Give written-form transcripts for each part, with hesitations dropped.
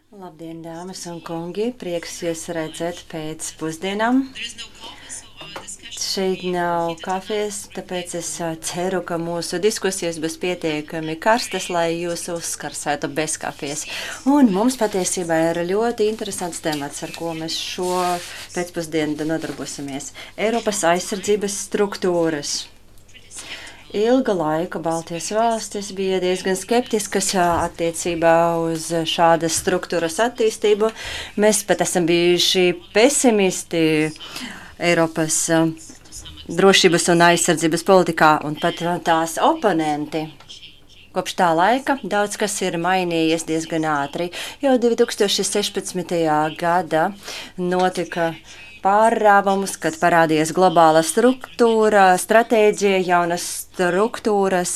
Labdien, dāmas un kungi! Prieks jūs redzēt pēc pusdienām. Šeit nav kafijas, tāpēc es ceru, ka mūsu diskusijas būs pietiekami karstas, lai jūs uzskarsētu bez kafijas. Un mums patiesībā ir ļoti interesants temats, ar ko mēs šo pēcpusdienu nodarbosimies. Eiropas aizsardzības struktūras. Ilga laika Baltijas valstis bija diezgan skeptiskas attiecībā uz šādas struktūras attīstību. Mēs pat esam bijuši pesimisti Eiropas drošības un aizsardzības politikā un pat tās oponenti. Kopš tā laika daudz kas ir mainījies diezgan ātri. Jau 2016. gada notika pārrāvumus, kad parādījās globāla struktūra, stratēģija, jaunas struktūras,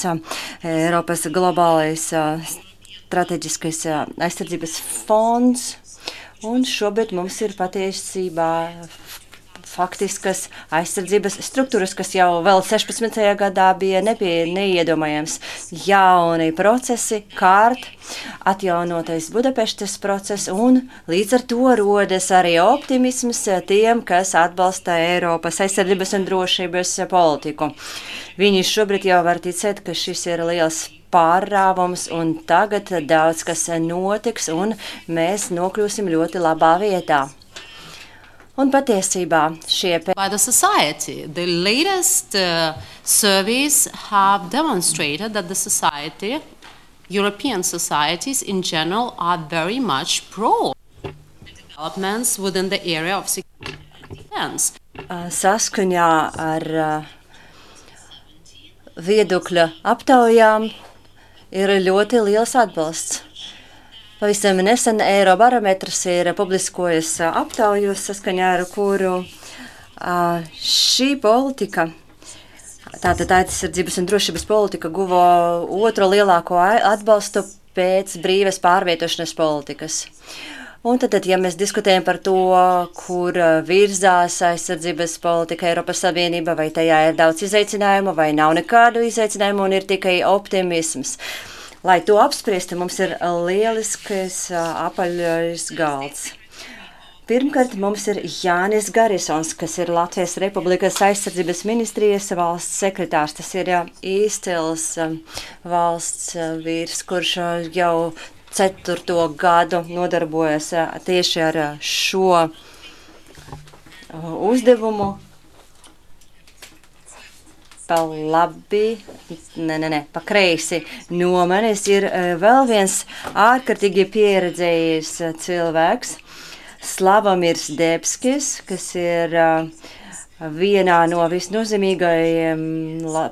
Eiropas globālais strateģiskais aizsardzības fonds, un šobrīd mums ir patiesībā faktiskas aizsardzības struktūras, kas jau vēl 16. gadā bija neiedomājams. Jauni procesi, atjaunotais Budapeštas process, un līdz ar to rodas arī optimisms tiem, kas atbalsta Eiropas aizsardzības un drošības politiku. Viņi šobrīd jau var ticēt, ka šis ir liels pārrāvums, un tagad daudz kas notiks, un mēs nokļūsim ļoti labā vietā. Un patiesībā by the society. The latest surveys have demonstrated that the society, European societies in general, are very much pro developments within the area of security and defense. Saskaņā ar viedokļa aptaujām ir ļoti liels atbalsts. Pavisam nesen Eirobarometrs ir publiskojis aptauju, saskaņā ar kuru šī politika, tātad aizsardzības un drošības politika, guva otro lielāko atbalstu pēc brīvas pārvietošanas politikas. Un tad, ja mēs diskutējam par to, kur virzās aizsardzības politika Eiropas Savienība, vai tajā ir daudz izaicinājumu, vai nav nekādu izaicinājumu un ir tikai optimisms. Lai to apspriestu, mums ir lielisks apaļais galds. Pirmkārt, mums ir Jānis Garisons, kas ir Latvijas Republikas aizsardzības ministrijas valsts sekretārs. Tas ir izcils valsts vīrs, kurš jau 4. gadu nodarbojas tieši ar šo uzdevumu. Pa labi, pa kreisi no manis ir vēl viens ārkārtīgi pieredzējis cilvēks, Slavomirs Debskis, kas ir vienā no visnozīmīgajiem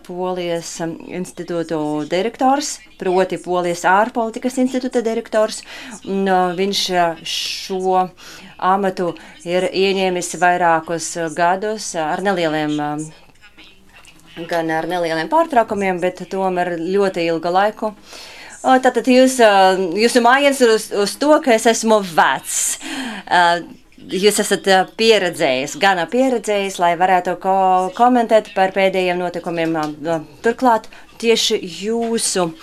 Polijas institūtu direktors, proti Polijas ārpolitikas institūta direktors. Viņš šo amatu ir ieņēmis vairākus gadus ar nelieliem pārtraukumiem, bet tomēr ļoti ilgu laiku. Tātad jūsu mājiens ir uz to, ka es esmu vecs. Jūs esat gana pieredzējis, lai varētu komentēt par pēdējiem notikumiem. Turklāt tieši jūsu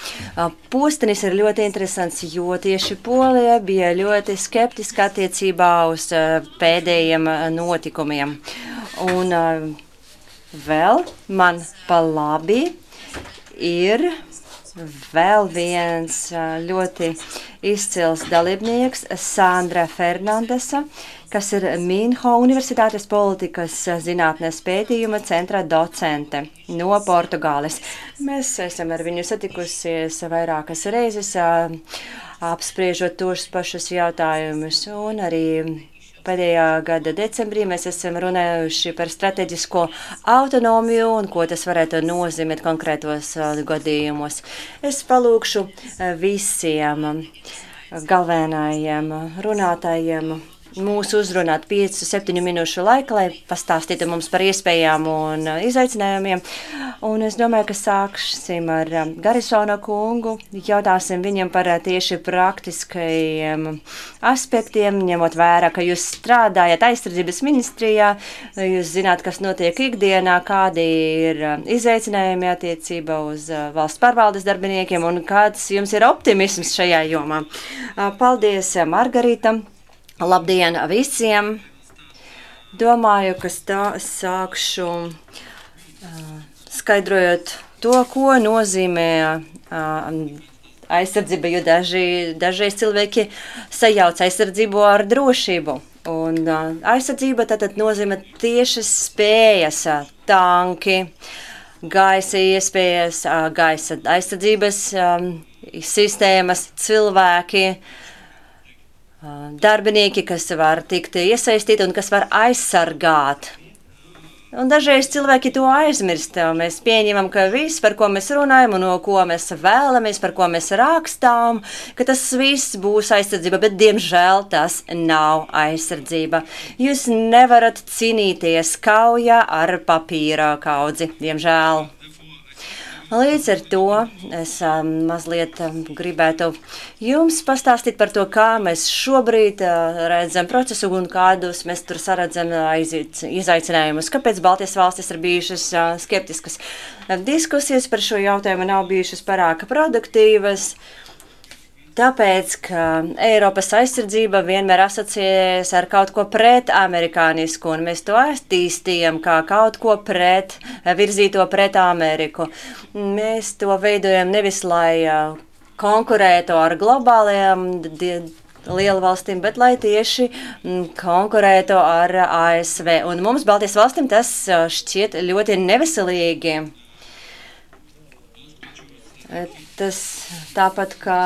postenis ir ļoti interesants, jo tieši Polija bija ļoti skeptiska attiecībā uz pēdējiem notikumiem. Un vēl man pa labi ir vēl viens ļoti izcils dalībnieks, Sandra Fernandesa, kas ir Minho Universitātes politikas zinātnes pētījuma centra docente no Portugāles. Mēs esam ar viņu satikusies vairākas reizes, apspriežot tos pašus jautājumus, un arī pēdējā gada decembrī mēs esam runājuši par strateģisko autonomiju un ko tas varētu nozīmēt konkrētos gadījumos. Es palūkšu visiem galvenajiem runātājiem mūsu uzrunāt 5-7 minūšu laika, lai pastāstītu mums par iespējām un izaicinājumiem. Un es domāju, ka sāksim ar Garisona kungu. Jautāsim viņam par tieši praktiskajiem aspektiem, ņemot vērā, ka jūs strādājat aizsardzības ministrijā, jūs zināt, kas notiek ikdienā, kādi ir izaicinājumi attiecībā uz valsts pārvaldes darbiniekiem un kāds jums ir optimisms šajā jomā. Paldies, Margarita! Labdien visiem! Domāju, ka sākšu skaidrojot to, ko nozīmē aizsardzība, jo dažreiz cilvēki sajauc aizsardzību ar drošību. Un aizsardzība tātad nozīmē tiešas spējas, tanki, gaisa iespējas, gaisa aizsardzības sistēmas, cilvēki, darbinieki, kas var tikt iesaistīti un kas var aizsargāt. Un dažreiz cilvēki to aizmirst. Mēs pieņemam, ka viss, par ko mēs runājam un no ko mēs vēlamies, par ko mēs rakstām, ka tas viss būs aizsardzība, bet diemžēl tas nav aizsardzība. Jūs nevarat cīnīties kaujā ar papīra kaudzi, diemžēl. Līdz ar to es mazliet gribētu jums pastāstīt par to, kā mēs šobrīd redzam procesu un kādus mēs tur saredzam izaicinājumus. Kāpēc Baltijas valstis ir bijušas skeptiskas? Diskusijas par šo jautājumu nav bijušas pārāk produktīvas. Tāpēc, ka Eiropas aizsardzība vienmēr asociējas ar kaut ko pret amerikānisku, un mēs to attīstījam kā kaut ko virzīto pret Ameriku. Mēs to veidojam nevis, lai konkurētu ar globālajām lielvalstīm, bet lai tieši konkurētu ar ASV. Un mums, Baltijas valstīm, tas šķiet ļoti neveselīgi. Tas tāpat kā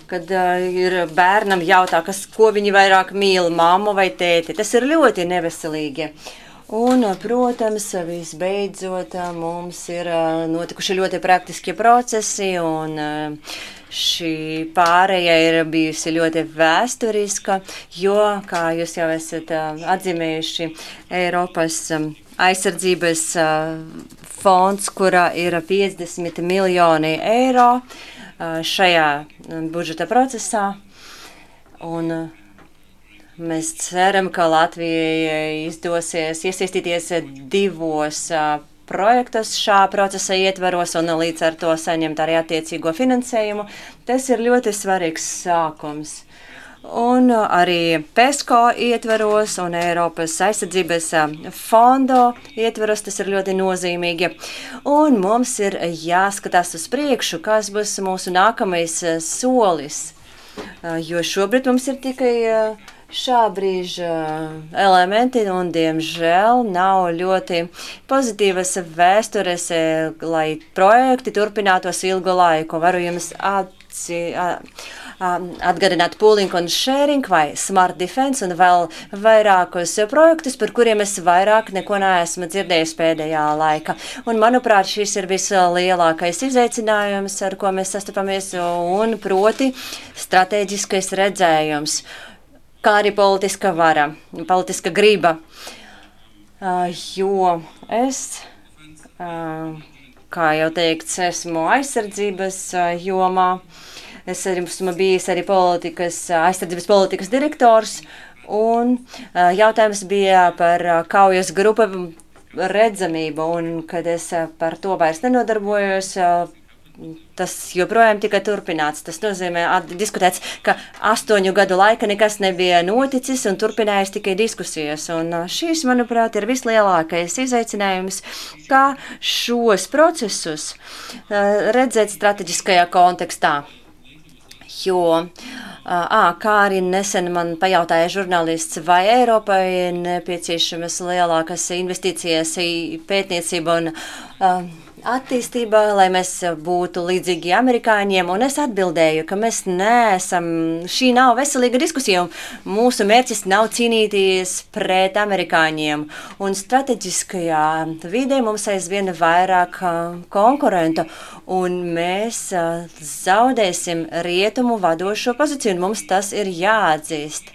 kad ir bērnam jautā, ko viņi vairāk mīl, mammu vai tēti. Tas ir ļoti neveselīgi. Un, protams, visbeidzot, mums ir notikuši ļoti praktiski procesi, un šī pārēja ir bijusi ļoti vēsturiska, jo, kā jūs jau esat atzīmējuši, Eiropas aizsardzības fonds, kurā ir 50 miljoni eiro, šajā budžeta procesā, un mēs ceram, ka Latvijai izdosies iesaistīties 2 projektos šā procesa ietveros un līdz ar to saņemt arī attiecīgo finansējumu. Tas ir ļoti svarīgs sākums. Un arī PESCO ietveros un Eiropas aizsardzības fondo ietveros, tas ir ļoti nozīmīgi. Un mums ir jāskatās uz priekšu, kas būs mūsu nākamais solis, jo šobrīd mums ir tikai šā brīža elementi un, diemžēl, nav ļoti pozitīvas vēstures, lai projekti turpinātos ilgu laiku. Varu jums atgādināt pooling un sharing vai smart defense un vēl vairākus projektus, par kuriem es vairāk neko neesmu dzirdējis pēdējā laika. Un, manuprāt, šis ir vislielākais izaicinājums, ar ko mēs sastopamies, un proti stratēģiskais redzējums, kā arī politiska vara, politiska griba. Jo es, kā jau teikts, esmu aizsardzības jomā. Es esmu bijis arī aizsardzības politikas direktors, un jautājums bija par kaujas grupu redzamību, un kad es par to vairs nenodarbojos, tas joprojām tika turpināts. Tas nozīmē diskutēts, ka 8 gadu laika nekas nebija noticis un turpinājās tikai diskusijas. Un šīs, manuprāt, ir vislielākais izaicinājums, kā šos procesus redzēt strateģiskajā kontekstā. Jo, kā arī nesen man pajautāja žurnālists, vai Eiropai ir nepieciešamas lielākas investīcijas pētniecība un attīstība, lai mēs būtu līdzīgi amerikāņiem, un es atbildēju, ka mēs neesam, šī nav veselīga diskusija, un mūsu mērķis nav cīnīties pret amerikāņiem, un strateģiskajā vidē mums aizvien vairāk konkurentu, un mēs zaudēsim rietumu vadošo pozīciju, un mums tas ir jāatzīst.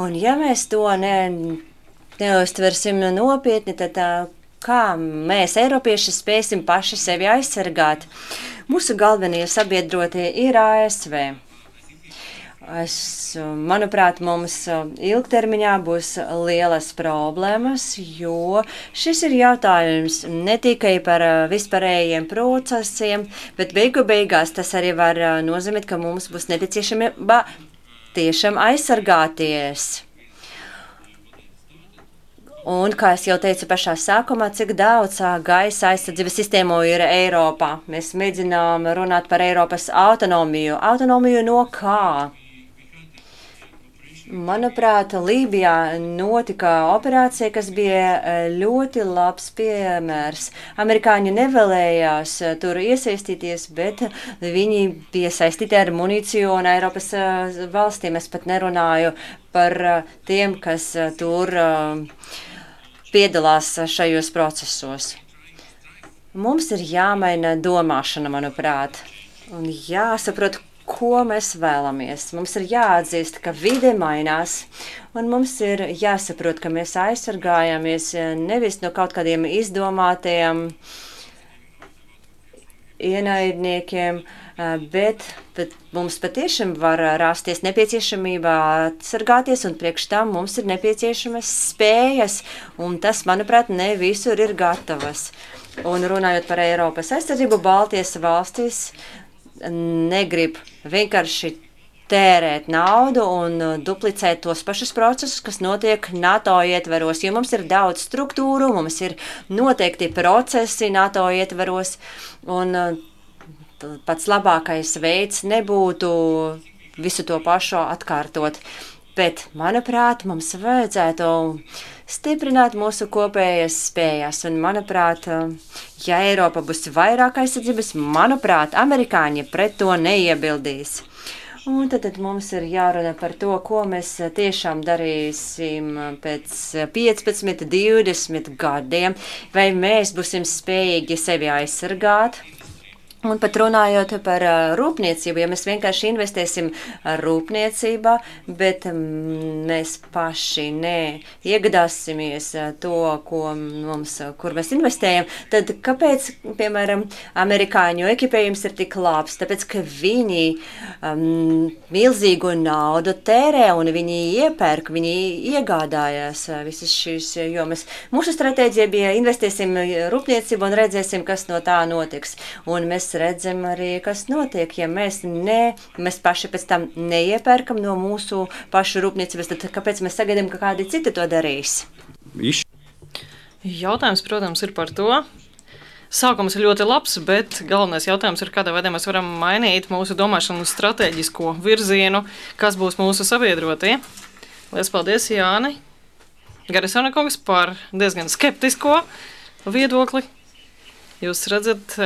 Un ja mēs to neuztversim nopietni, tad kā mēs, Eiropieši, spēsim paši sevi aizsargāt? Mūsu galvenie sabiedrotie ir ASV. Manuprāt, mums ilgtermiņā būs lielas problēmas, jo šis ir jautājums ne tikai par vispārējiem procesiem, bet beigās tas arī var nozīmēt, ka mums būs nepieciešamība tiešām aizsargāties. Un, kā es jau teicu pašā sākumā, cik daudz gaisa aizsardzības sistēmu ir Eiropā. Mēs mēģinām runāt par Eiropas autonomiju. Autonomiju no kā? Manuprāt, Lībijā notika operācija, kas bija ļoti labs piemērs. Amerikāņi nevēlējās tur iesaistīties, bet viņi bija saistīti ar munīciju un Eiropas valstīm. Es pat nerunāju par tiem, kas tur piedalās šajos procesos. Mums ir jāmaina domāšana, manuprāt, un jāsaprot, ko mēs vēlamies. Mums ir jāatzīst, ka vide mainās, un mums ir jāsaprot, ka mēs aizsargājamies nevis no kaut kādiem izdomātiem ienaidniekiem, bet mums patiešām var rasties nepieciešamība atsargāties, un priekš tam mums ir nepieciešamas spējas, un tas, manuprāt, ne visur ir gatavas. Un runājot par Eiropas aizsardzību, Baltijas valstīs negrib vienkārši tērēt naudu un duplicēt tos pašus procesus, kas notiek NATO ietveros, jo mums ir daudz struktūru, mums ir noteikti procesi NATO ietveros, un pats labākais veids nebūtu visu to pašu atkārtot. Bet, manuprāt, mums vajadzētu stiprināt mūsu kopējas spējas. Un, manuprāt, ja Eiropa būs vairāk aizsardzības, manuprāt, amerikāņi pret to neiebildīs. Un tad mums ir jārunā par to, ko mēs tiešām darīsim pēc 15, 20 gadiem, vai mēs būsim spējīgi sevi aizsargāt. Un pat runājot par rūpniecību, ja mēs vienkārši investēsim rūpniecībā, bet mēs paši neiegādāsimies to, kur mēs investējam, tad kāpēc, piemēram, amerikāņu ekipējums ir tik labs? Tāpēc, ka viņi milzīgu naudu tērē un viņi iepērk, viņi iegādājās visas šīs jomas. Mūsu stratēģija bija investēsim rūpniecību un redzēsim, kas no tā notiks. Un mēs redzam arī, kas notiek, ja mēs paši pēc tam neiepērkam no mūsu pašu rūpniecības, tad kāpēc mēs sagaidām, ka kādi citi to darīs? Jautājums, protams, ir par to. Sākums ir ļoti labs, bet galvenais jautājums ir, kādā veidā mēs varam mainīt mūsu domāšanu stratēģisko virzienu, kas būs mūsu sabiedrotie. Lielas paldies, Jāni Garisona kungs, par diezgan skeptisko viedokli. Jūs redzat,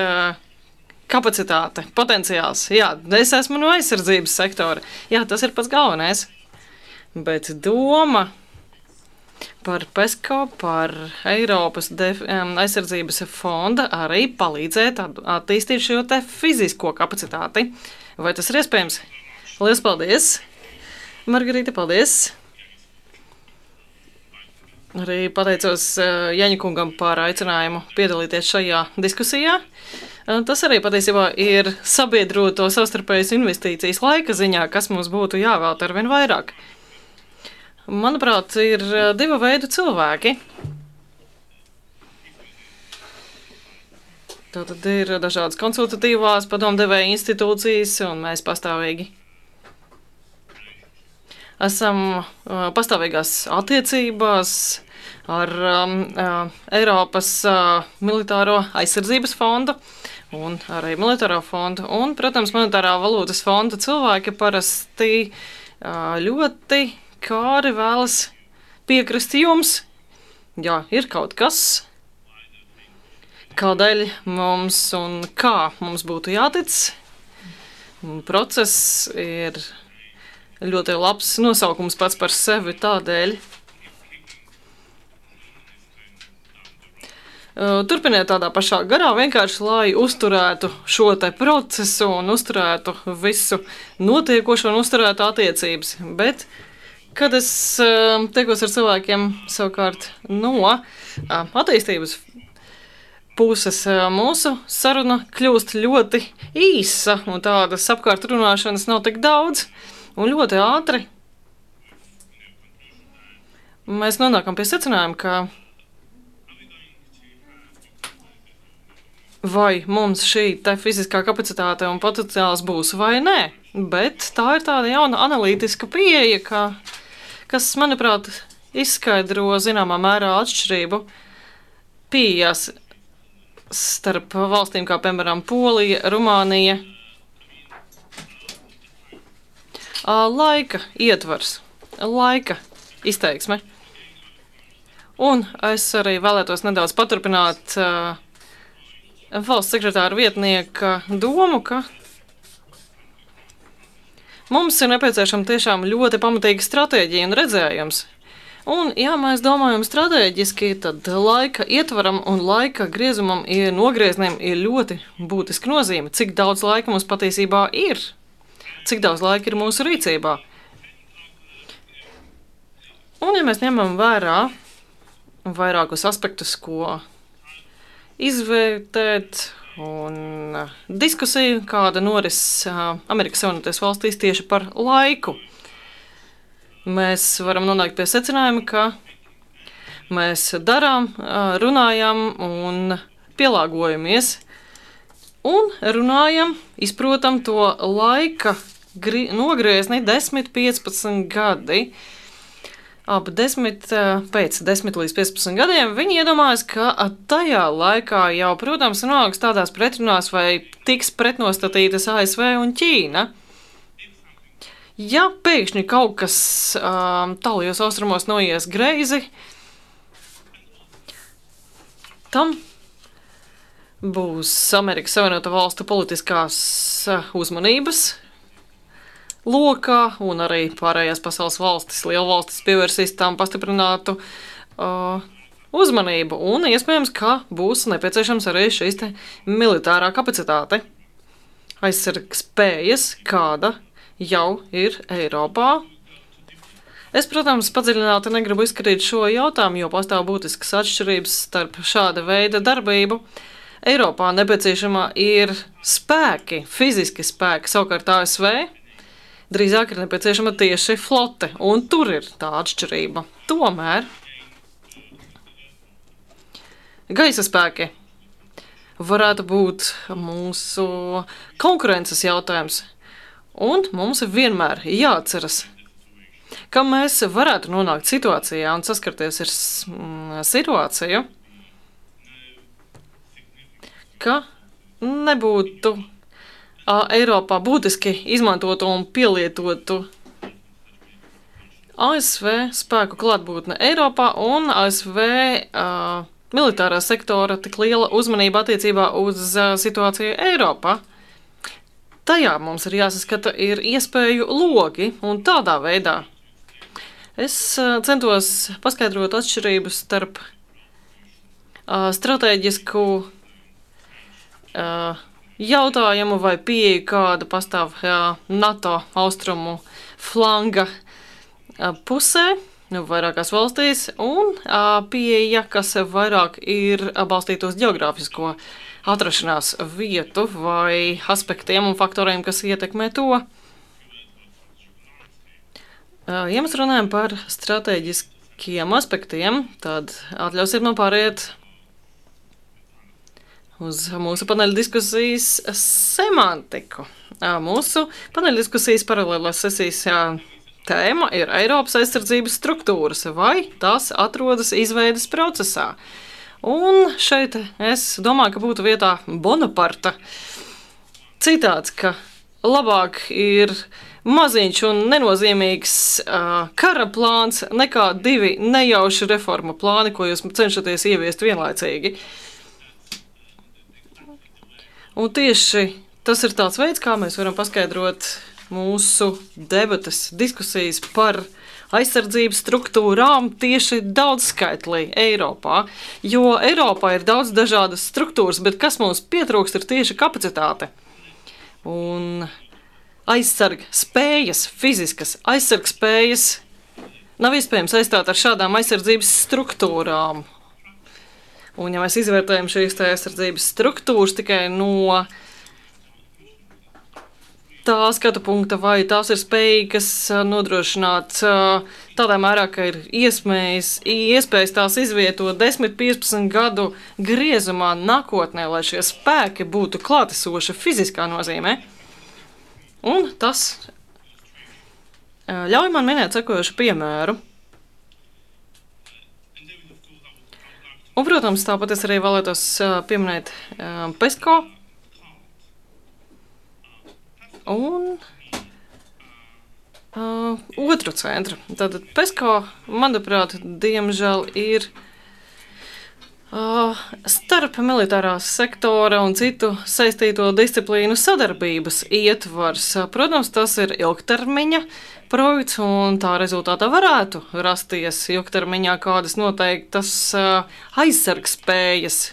kapacitāte, potenciāls. Jā, es esmu no aizsardzības sektora. Jā, tas ir pats galvenais. Bet doma par PESCO, par Eiropas aizsardzības fonda arī palīdzēt attīstīt šo te fizisko kapacitāti. Vai tas ir iespējams? Lielas paldies! Margarita, paldies! Arī pateicos Jaņa kungam par aicinājumu piedalīties šajā diskusijā. Tas arī patiesībā ir sabiedroto savstarpējas investīcijas laika ziņā, kas mums būtu jāvēlta arvien vairāk. Manuprāt, ir divu veidu cilvēki. Tātad ir dažādas konsultatīvās padomdevēja institūcijas, un mēs pastāvīgi esam pastāvīgās attiecībās ar Eiropas militāro aizsardzības fondu un arī militāro fondu. Un, protams, monetārā valūtas fonda cilvēki parasti ļoti kāri vēlas piekrist jums. Jā, ir kaut kas, kādēļ mums un kā mums būtu jātic. Process ir ļoti labs nosaukums pats par sevi tādēļ. Turpiniet tādā pašā garā, vienkārši lai uzturētu šo te procesu un uzturētu visu notiekošo un uzturētu attiecības. Bet Kad es tiekos ar cilvēkiem savukārt no attīstības puses, mūsu saruna kļūst ļoti īsa, un tādas apkārt runāšanas nav tik daudz, un ļoti ātri mēs nonākam pie secinājuma, ka vai mums šī te fiziskā kapacitāte un potenciāls būs vai nē, bet tā ir tāda jauna analītiska pieeja, kas, manuprāt, izskaidro zināmā mērā atšķirību pieejās starp valstīm kā, piemēram, Polija, Rumānija. Laika ietvars, laika izteiksme. Un es arī vēlētos nedaudz paturpināt valsts sekretāra vietnieka domu, ka mums ir nepieciešama tiešām ļoti pamatīga stratēģija un redzējums. Un, ja mēs domājam stratēģiski, tad laika ietvaram un laika griezumam nogriezniem ir ļoti būtiska nozīme. Cik daudz laika mums patiesībā ir? Cik daudz laika ir mūsu rīcībā? Un, ja mēs ņemam vērā vairākus aspektus, ko izvērtēt un diskusiju, kāda noris Amerikas Savienotajās valstīs tieši par laiku, mēs varam nonākt pie secinājuma, ka mēs darām, runājam un pielāgojamies un runājam, izprotam to laika nogriezni 10-15 gadi. Pēc 10 līdz 15 gadiem viņi iedomājas, ka tajā laikā jau, protams, nonāks tādās pretrunās vai tiks pretnostatītas ASV un Ķīna. Ja pēkšņi kaut kas tālajos austrumos noies greizi, tam būs Amerikas Savienoto Valstu politiskās uzmanības lokā, un arī pārējās pasaules valstis, lielvalstis pievērsīs tam pastiprinātu uzmanību, un iespējams, ka būs nepieciešams arī šīs te militārā kapacitāte, aizsargspējas, kāda jau ir Eiropā. Es, protams, padziļināti negribu izskatīt šo jautājumu, jo pastāv būtiskas atšķirības starp šāda veida darbību. Eiropā nepieciešama ir spēki, fiziski spēki, savukārt ASV drīzāk ir nepieciešama tieši flote, un tur ir tā atšķirība. Tomēr gaisa spēki varētu būt mūsu konkurences jautājums. Un mums vienmēr jāatceras, ka mēs varētu nonākt situācijā un saskarties ar situāciju, ka nebūtu Eiropā būtiski izmantotu un pielietotu ASV spēku klātbūtne Eiropā un ASV militārā sektora tik liela uzmanība attiecībā uz situāciju Eiropā. Tajā mums ir jāsaskata ir iespēju logi, un tādā veidā es centos paskaidrot atšķirību starp stratēģisku jautājumu vai pieeju, kāda pastāv NATO austrumu flanga pusē, vairākās valstīs, un pieeja, kas vairāk ir balstīta uz geogrāfisko atrašanās vietu vai aspektiem un faktoriem, kas ietekmē to. Ja mēs runājam par stratēģiskiem aspektiem, tad atļausiet man pāriet uz mūsu paneļa diskusijas semantiku. Mūsu paneļa diskusijas paralēlās sesijas tēma ir Eiropas aizsardzības struktūras, vai tās atrodas izveides procesā. Un šeit es domāju, ka būtu vietā Bonaparta citāts, ka labāk ir maziņš un nenozīmīgs kara plāns nekā 2 nejauši reforma plāni, ko jūs cenšaties ieviest vienlaicīgi. Un tieši tas ir tāds veids, kā mēs varam paskaidrot mūsu debates, diskusijas par aizsardzības struktūrām tieši daudzskaitlī Eiropā, jo Eiropā ir daudz dažādas struktūras, bet kas mums pietrūkst ir tieši kapacitāte. Un aizsargspējas, fiziskas aizsargspējas nav iespējams aizstāt ar šādām aizsardzības struktūrām. Un, ja mēs izvērtējam šīs aizsardzības struktūras tikai no tā skatu punkta, vai tās ir spējīgas nodrošināt tādā mērā, ka ir iespējas tās izvietot 10-15 gadu griezumā nākotnē, lai šie spēki būtu klātesoši fiziskā nozīmē. Un tas ļauj man minēt sekojošu piemēru. Un, protams, tāpat es arī vēlētos pieminēt PESCO. Un otru centru. Tātad PESCO, manuprāt, diemžēl ir starp militārās sektora un citu saistīto disciplīnu sadarbības ietvars. Protams, tas ir ilgtermiņa projekts, un tā rezultātā varētu rasties ilgtermiņā kādas noteiktas aizsargspējas.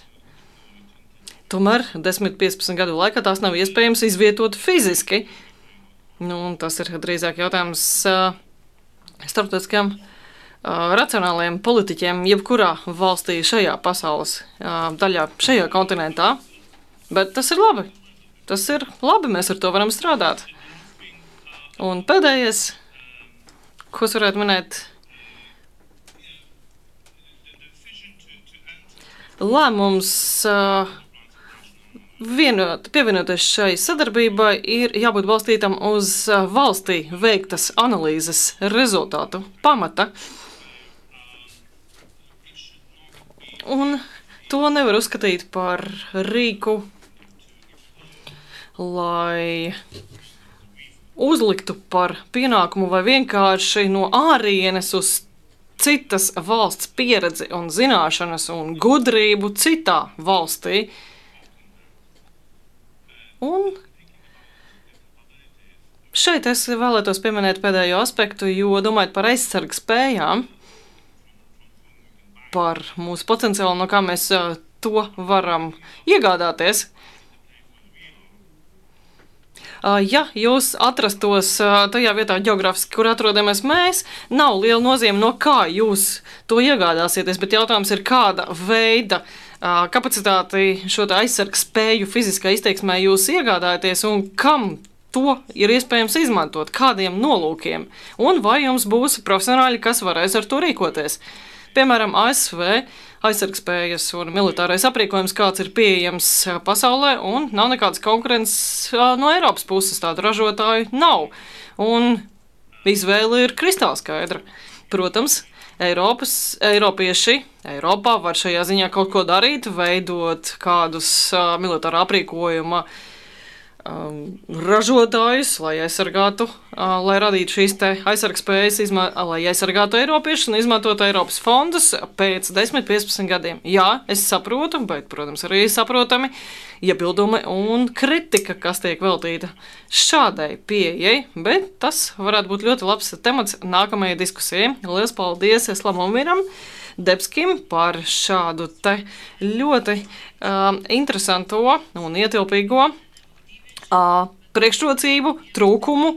Tomēr 10-15 gadu laikā tās nav iespējams izvietot fiziski. Tas ir drīzāk jautājums starptautiskiem racionāliem politiķiem jebkurā valstī šajā pasaules daļā, šajā kontinentā. Bet tas ir labi. Tas ir labi, mēs ar to varam strādāt. Un pēdējais, ko es varētu minēt, lēmums pievienoties šai sadarbībai ir jābūt balstītam uz valstī veiktas analīzes rezultātu pamata. Un to nevar uzskatīt par rīku, lai uzliktu par pienākumu vai vienkārši no ārienes uz citas valsts pieredzi un zināšanas un gudrību citā valstī. Un šeit es vēlētos pieminēt pēdējo aspektu, jo domājot par aizsargu spējām, par mūsu potenciālu, no kā mēs to varam iegādāties. Ja jūs atrastos tajā vietā ģeogrāfiski, kur atrodamies mēs, nav liela nozīme, no kā jūs to iegādāsieties, bet jautājums ir, kāda veida kapacitāti šo aizsargu spēju fiziskā izteiksmē jūs iegādājaties un kam to ir iespējams izmantot, kādiem nolūkiem, un vai jums būs profesionāļi, kas varēs ar to rīkoties. Piemēram, ASV aizsargspējas un militārais aprīkojums, kāds ir pieejams pasaulē, un nav nekādas konkurences no Eiropas puses, tādu ražotāju nav. Un izvēle ir kristāli skaidra. Protams, Eiropieši Eiropā var šajā ziņā kaut ko darīt, veidot kādus militāra aprīkojuma ražotājus, lai aizsargātu, lai radītu šīs te aizsargspējas, lai aizsargātu Eiropiešus un izmantotu Eiropas fondus pēc 10-15 gadiem. Jā, es saprotu, bet, protams, arī saprotami iebildumi un kritika, kas tiek veltīta šādai pieejai, bet tas varētu būt ļoti labs temats nākamajai diskusijai. Lielas paldies Slamomiram Debskim par šādu te ļoti interesanto un ietilpīgo priekšrocību, trūkumu,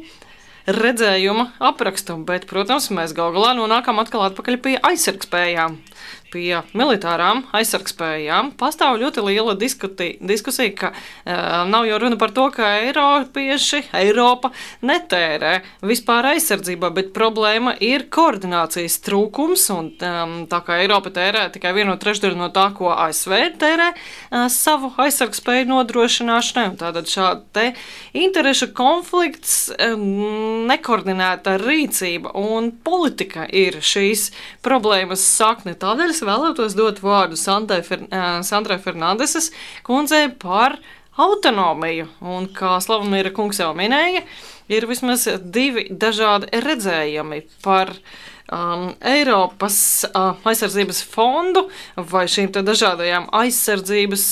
redzējuma aprakstu, bet, protams, mēs gal galā nonākam atkal atpakaļ pie aizsargspējām, pie militārām aizsargspējām. Pastāv ļoti liela diskusija, ka nav jau runa par to, ka Eiropa netērē vispār aizsardzībā, bet problēma ir koordinācijas trūkums, un tā kā Eiropa tērē tikai 1/3 no tā, ko ASV tērē savu aizsargspēju nodrošināšanai, un tātad šāda te interešu konflikts, nekoordinēta rīcība un politika ir šīs problēmas sakne. Tādēļ es vēlētos dot vārdu Sandrai Fernandeses kundzei par autonomiju. Un, kā Slavomīra kungs jau minēja, ir vismaz 2 dažādi redzējumi par Eiropas aizsardzības fondu vai šīm te dažādajām aizsardzības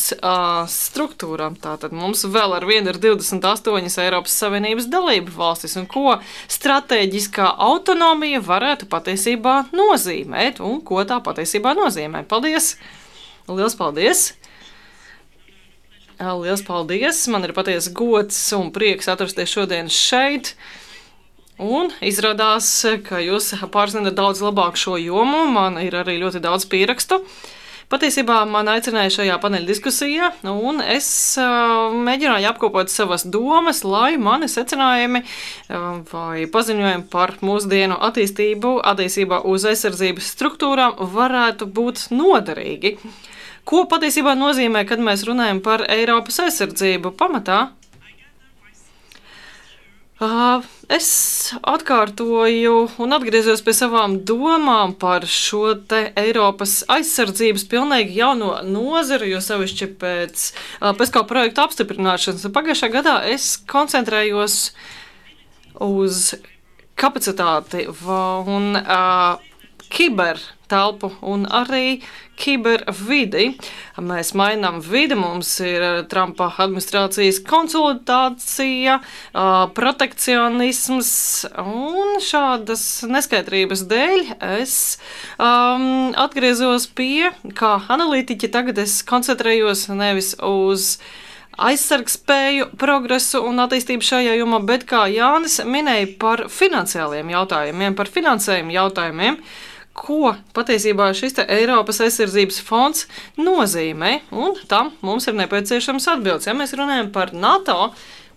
struktūrām. Tātad mums vēl ar vienu ir 28 Eiropas Savienības dalību valstis, un ko stratēģiskā autonomija varētu patiesībā nozīmēt, un ko tā patiesībā nozīmē. Paldies! Liels paldies! Liels paldies! Man ir patiesi gods un prieks atrasties šodien šeit. Un izrādās, ka jūs pārzināt daudz labāk šo jomu, man ir arī ļoti daudz pierakstu. Patiesībā man aicināja šajā paneļa diskusijā, un es mēģināju apkopot savas domas, lai mani secinājumi vai paziņojumi par mūsdienu attīstību attiecībā uz aizsardzības struktūrām varētu būt noderīgi. Ko patiesībā nozīmē, kad mēs runājam par Eiropas aizsardzību pamatā? Es atkārtoju un atgriezos pie savām domām par šo te Eiropas aizsardzības pilnīgi jauno nozaru, jo sevišķi pēc PESCO projekta apstiprināšanas. Pagājušā gadā es koncentrējos uz kapacitāti un kibertelpu un arī kibervidi. Mēs mainām vidi, mums ir Trumpa administrācijas konsolidācija, protekcionisms un šādas neskaidrības dēļ es atgriezos pie, kā analītiķi, tagad es koncentrējos nevis uz aizsargspēju, progresu un attīstību šajā jomā, bet kā Jānis minēja par finansiāliem jautājumiem, par finansējumu jautājumiem, ko patiesībā šis Eiropas aizsardzības fonds nozīmē, un tam mums ir nepieciešams atbildes. Ja mēs runājam par NATO,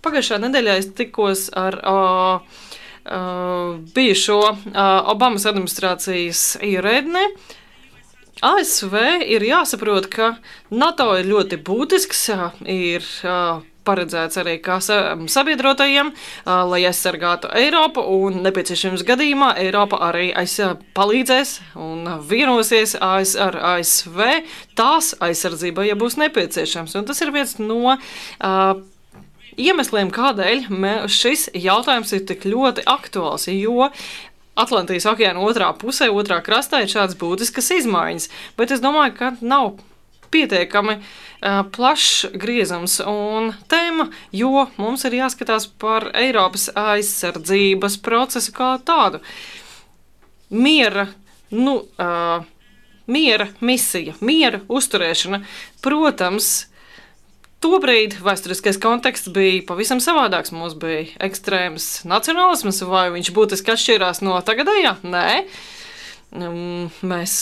pagājušā nedēļā es tikos ar bijušo Obamas administrācijas ierēdni. ASV ir jāsaprot, ka NATO ir ļoti būtisks, ir paredzēts arī kā sabiedrotajiem, lai aizsargātu Eiropu, un nepieciešams gadījumā Eiropa arī palīdzēs un vienosies ar ASV tās aizsardzībai, ja būs nepieciešams. Un tas ir viens no iemesliem, kādēļ šis jautājums ir tik ļoti aktuāls, jo Atlantijas okeāna otrā pusē, otrā krastā ir šādas būtiskas izmaiņas, bet es domāju, ka nav pietiekami plašs griezums un tēma, jo mums ir jāskatās par Eiropas aizsardzības procesu kā tādu. Miera misija, miera uzturēšana, protams, tobrīd vēsturiskais konteksts bija pavisam savādāks. Mums bija ekstrēms nacionālisms, vai viņš būtiski atšķirās no tagadējā? Nē. Mēs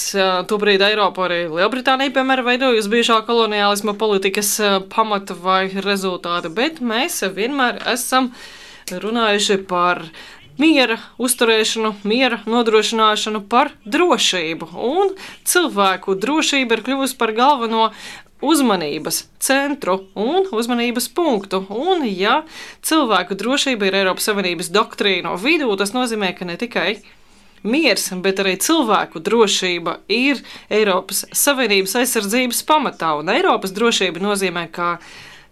tobrīd Eiropu arī Lielbritānija, piemēram, veidojusi bijušā koloniālisma politikas pamata vai rezultāti, bet mēs vienmēr esam runājuši par miera uzturēšanu, miera nodrošināšanu, par drošību, un cilvēku drošība ir kļuvusi par galveno uzmanības centru un uzmanības punktu. Un, ja cilvēku drošība ir Eiropas Savienības doktrīno vidū, tas nozīmē, ka ne tikai miers, bet arī cilvēku drošība ir Eiropas Savienības aizsardzības pamatā. Un Eiropas drošība nozīmē, ka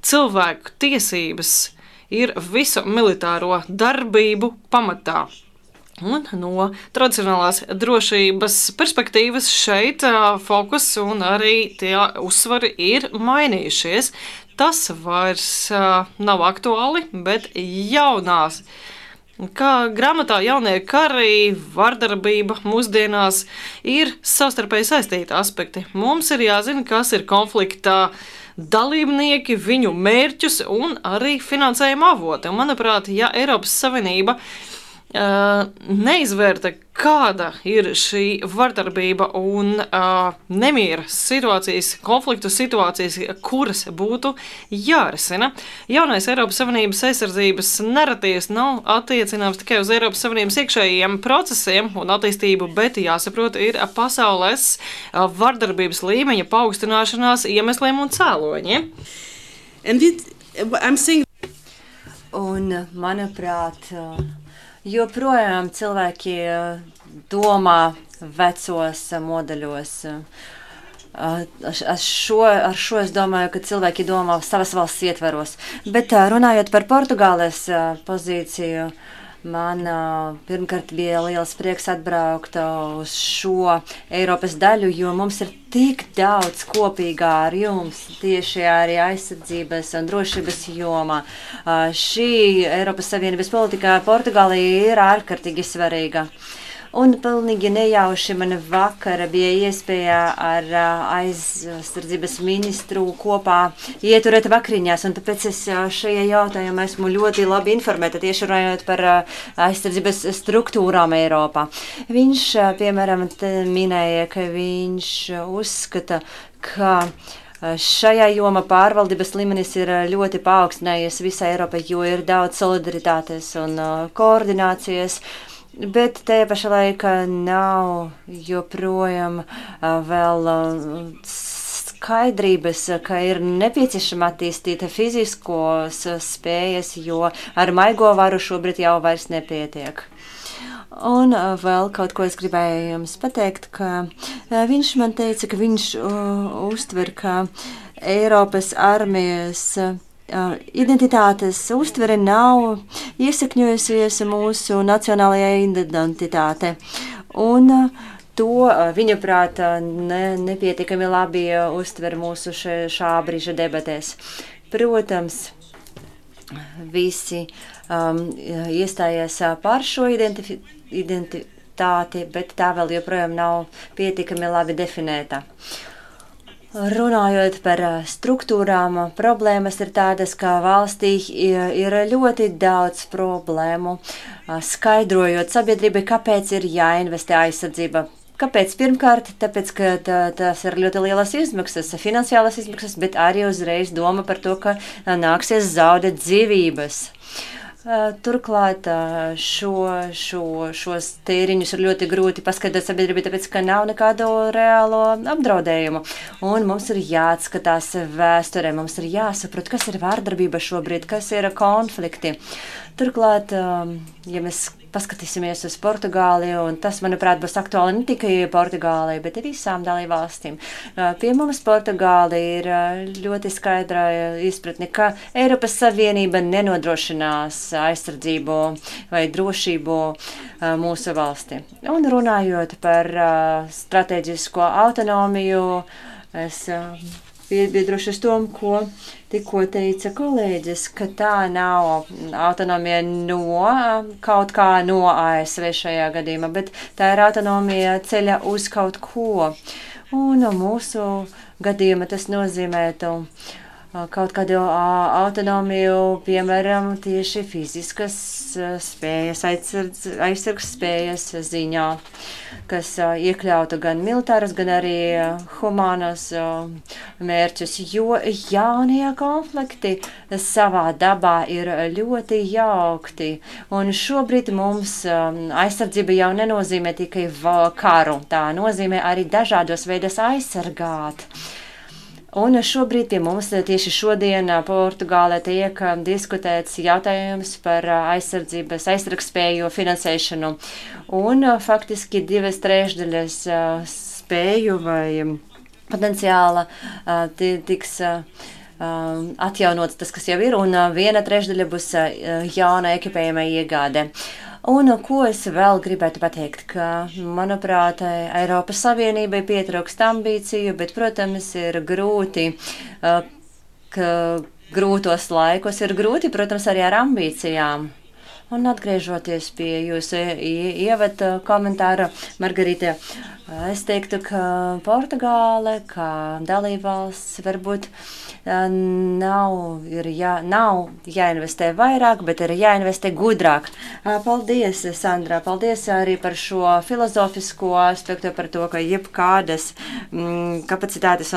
cilvēku tiesības ir visu militāro darbību pamatā. Un no tradicionālās drošības perspektīvas šeit fokus un arī tie uzsvari ir mainījušies. Tas vairs nav aktuāli, bet jaunās. Kā grāmatā jaunie kari, vardarbība mūsdienās ir savstarpēji saistīti aspekti. Mums ir jāzina, kas ir konfliktā dalībnieki, viņu mērķus un arī finansējuma avoti. Un, manuprāt, ja Eiropas Savienība neizvērta, kāda ir šī vardarbība un nemiera situācijas, konfliktu situācijas, kuras būtu jārisina. Jaunais Eiropas Savienības aizsardzības naratīvs nav attiecināms tikai uz Eiropas Savienības iekšējiem procesiem un attīstību, bet jāsaprot ir pasaules vardarbības līmeņa paaugstināšanās iemesliem un cēloņiem. Un, manuprāt, joprojām cilvēki domā vecos modeļos. Ar šo es domāju, ka cilvēki domā savas valsts ietvaros. Bet runājot par Portugāles pozīciju, man pirmkārt bija liels prieks atbraukt uz šo Eiropas daļu, jo mums ir tik daudz kopīgā ar jums tieši arī aizsardzības un drošības jomā. Šī Eiropas Savienības politikā Portugālija ir ārkārtīgi svarīga. Un pilnīgi nejauši man vakara bija iespēja ar aizsardzības ministru kopā ieturēt vakariņās, un tāpēc es šajā jautājumā esmu ļoti labi informēta tieši runājot par aizsardzības struktūrām Eiropā. Viņš, piemēram, minēja, ka viņš uzskata, ka šajā jomā pārvaldības līmenis ir ļoti paaugstinājies visā Eiropā, jo ir daudz solidaritātes un koordinācijas. Bet tajā pašā laikā nav joprojām vēl skaidrības, ka ir nepieciešama attīstīt fiziskos spējas, jo ar maigo varu šobrīd jau vairs nepietiek. Un vēl kaut ko es gribēju jums pateikt, ka viņš man teica, ka viņš uztver, ka Eiropas armijas identitātes uztvere nav iesakņojusies mūsu nacionālajā identitāte. Un to, viņuprāt, nepietiekami labi uztver mūsu šā brīža debatēs. Protams, visi iestājās par šo identitāti, bet tā vēl joprojām nav pietiekami labi definēta. Runājot par struktūrām, problēmas ir tādas, ka valstī ir ļoti daudz problēmu, skaidrojot sabiedrībai, kāpēc ir jāinvestē aizsardzība. Kāpēc? Pirmkārt, tāpēc, ka tas ir ļoti lielas izmaksas, finansiālas izmaksas, bet arī uzreiz doma par to, ka nāksies zaudēt dzīvības. Turklāt šos tēriņus ir ļoti grūti paskaidrot sabiedrībai, tāpēc, ka nav nekādu reālo apdraudējumu. Un mums ir jāatskatās vēsturē, mums ir jāsaprot, kas ir vārdarbība šobrīd, kas ir konflikti. Turklāt, ja mēs paskatīsimies uz Portugāli, un tas, manuprāt, būs aktuāli ne tikai Portugālei, bet visām dalībvalstīm. Pie mums Portugāli ir ļoti skaidra izpratne, ka Eiropas Savienība nenodrošinās aizsardzību vai drošību mūsu valsti. Un runājot par strateģisko autonomiju, es piebiedrošos tom, ko tikko teica kolēģis, ka tā nav autonomija no kaut kā no ASV šajā gadījumā, bet tā ir autonomija ceļa uz kaut ko. Un mūsu gadījumā tas nozīmētu kaut kādu autonomiju, piemēram, tieši fiziskas spējas, aizsargs spējas ziņā, kas iekļautu gan militāras, gan arī humānas mērķus, jo jaunie konflikti savā dabā ir ļoti jaukti. Un šobrīd mums aizsardzība jau nenozīmē tikai karu, tā nozīmē arī dažādos veidos aizsargāt. Un šobrīd pie mums tieši šodien Portugālē tiek diskutēts jautājums par aizsargspēju finansēšanu. Un faktiski 2/3 spēju vai potenciāla tiks atjaunots tas, kas jau ir, un 1/3 būs jauna ekipējuma iegāde. Un ko es vēl gribētu pateikt, ka, manuprāt, Eiropas Savienībai pietrūkst ambīciju, bet, protams, ir grūti, ka grūtos laikos ir grūti, protams, arī ar ambīcijām. Un atgriežoties pie jūsu ievada komentāra, Margarita, es teiktu, ka Portugāle, kā dalībvalsts, varbūt nav jāinvestē vairāk, bet ir jāinvestē gudrāk. Paldies, Sandra, paldies arī par šo filozofisko aspektu, par to, ka jebkādas kapacitātes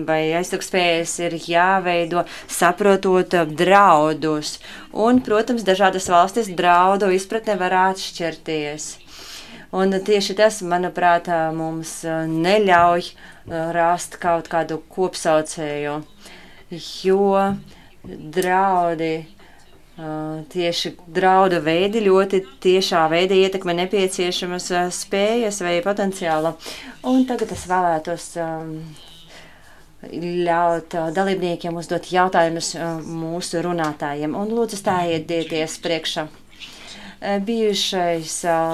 vai aizsargspējas ir jāveido, saprotot draudus. Un, protams, dažādas valstis draudu izpratne var atšķirties. Un tieši tas, manuprāt, mums neļauj rast kaut kādu kopsaucēju, jo draudi, tieši draudu veidi ļoti tiešā veidā ietekmē nepieciešamas spējas vai potenciālu. Un tagad es vēlētos ļaut dalībniekiem uzdot jautājumus mūsu runātājiem. Un lūdzu stājieties priekšā. Bijušais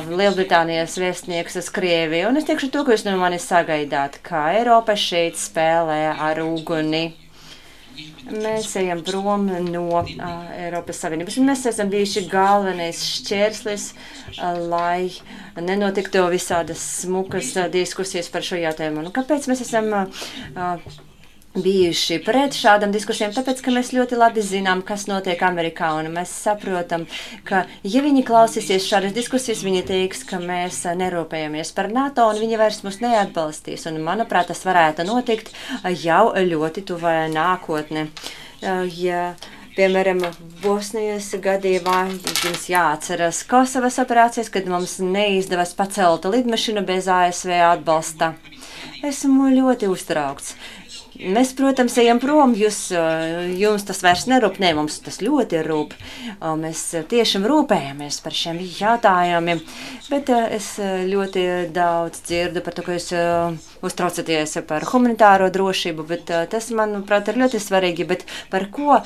Lielbritānijas vēstnieks uz Krieviju, un es teikšu to, ko jūs no manis sagaidāt, kā Eiropa šeit spēlē ar uguni. mēs ejam prom no Eiropas Savienības. Un mēs esam bijuši galvenais šķērslis, lai nenotiktu visādas smukas diskusijas par šo jautājumu. Un kāpēc mēs esam bijuši pret šādām diskusijām? Tāpēc, ka mēs ļoti labi zinām, kas notiek Amerikā, un mēs saprotam, ka, ja viņi klausīsies šādas diskusijas, viņi teiks, ka mēs nerūpējamies par NATO, un viņi vairs mūs neatbalstīs. Un, manuprāt, tas varētu notikt jau ļoti tuvā nākotnē. Ja, piemēram, Bosnijas gadījumā jums jāatceras Kosovas operācijas, kad mums neizdevās pacelt lidmašīnu bez ASV atbalsta. Esmu ļoti uztraukts. Mēs, protams, ejam prom, jums tas vairs nerūp, ne, mums tas ļoti rūp. Mēs tiešām rūpējamies par šiem jautājumiem, bet es ļoti daudz dzirdu par to, ka jūs uztraucaties par humanitāro drošību, bet tas, manuprāt, ir ļoti svarīgi, bet par ko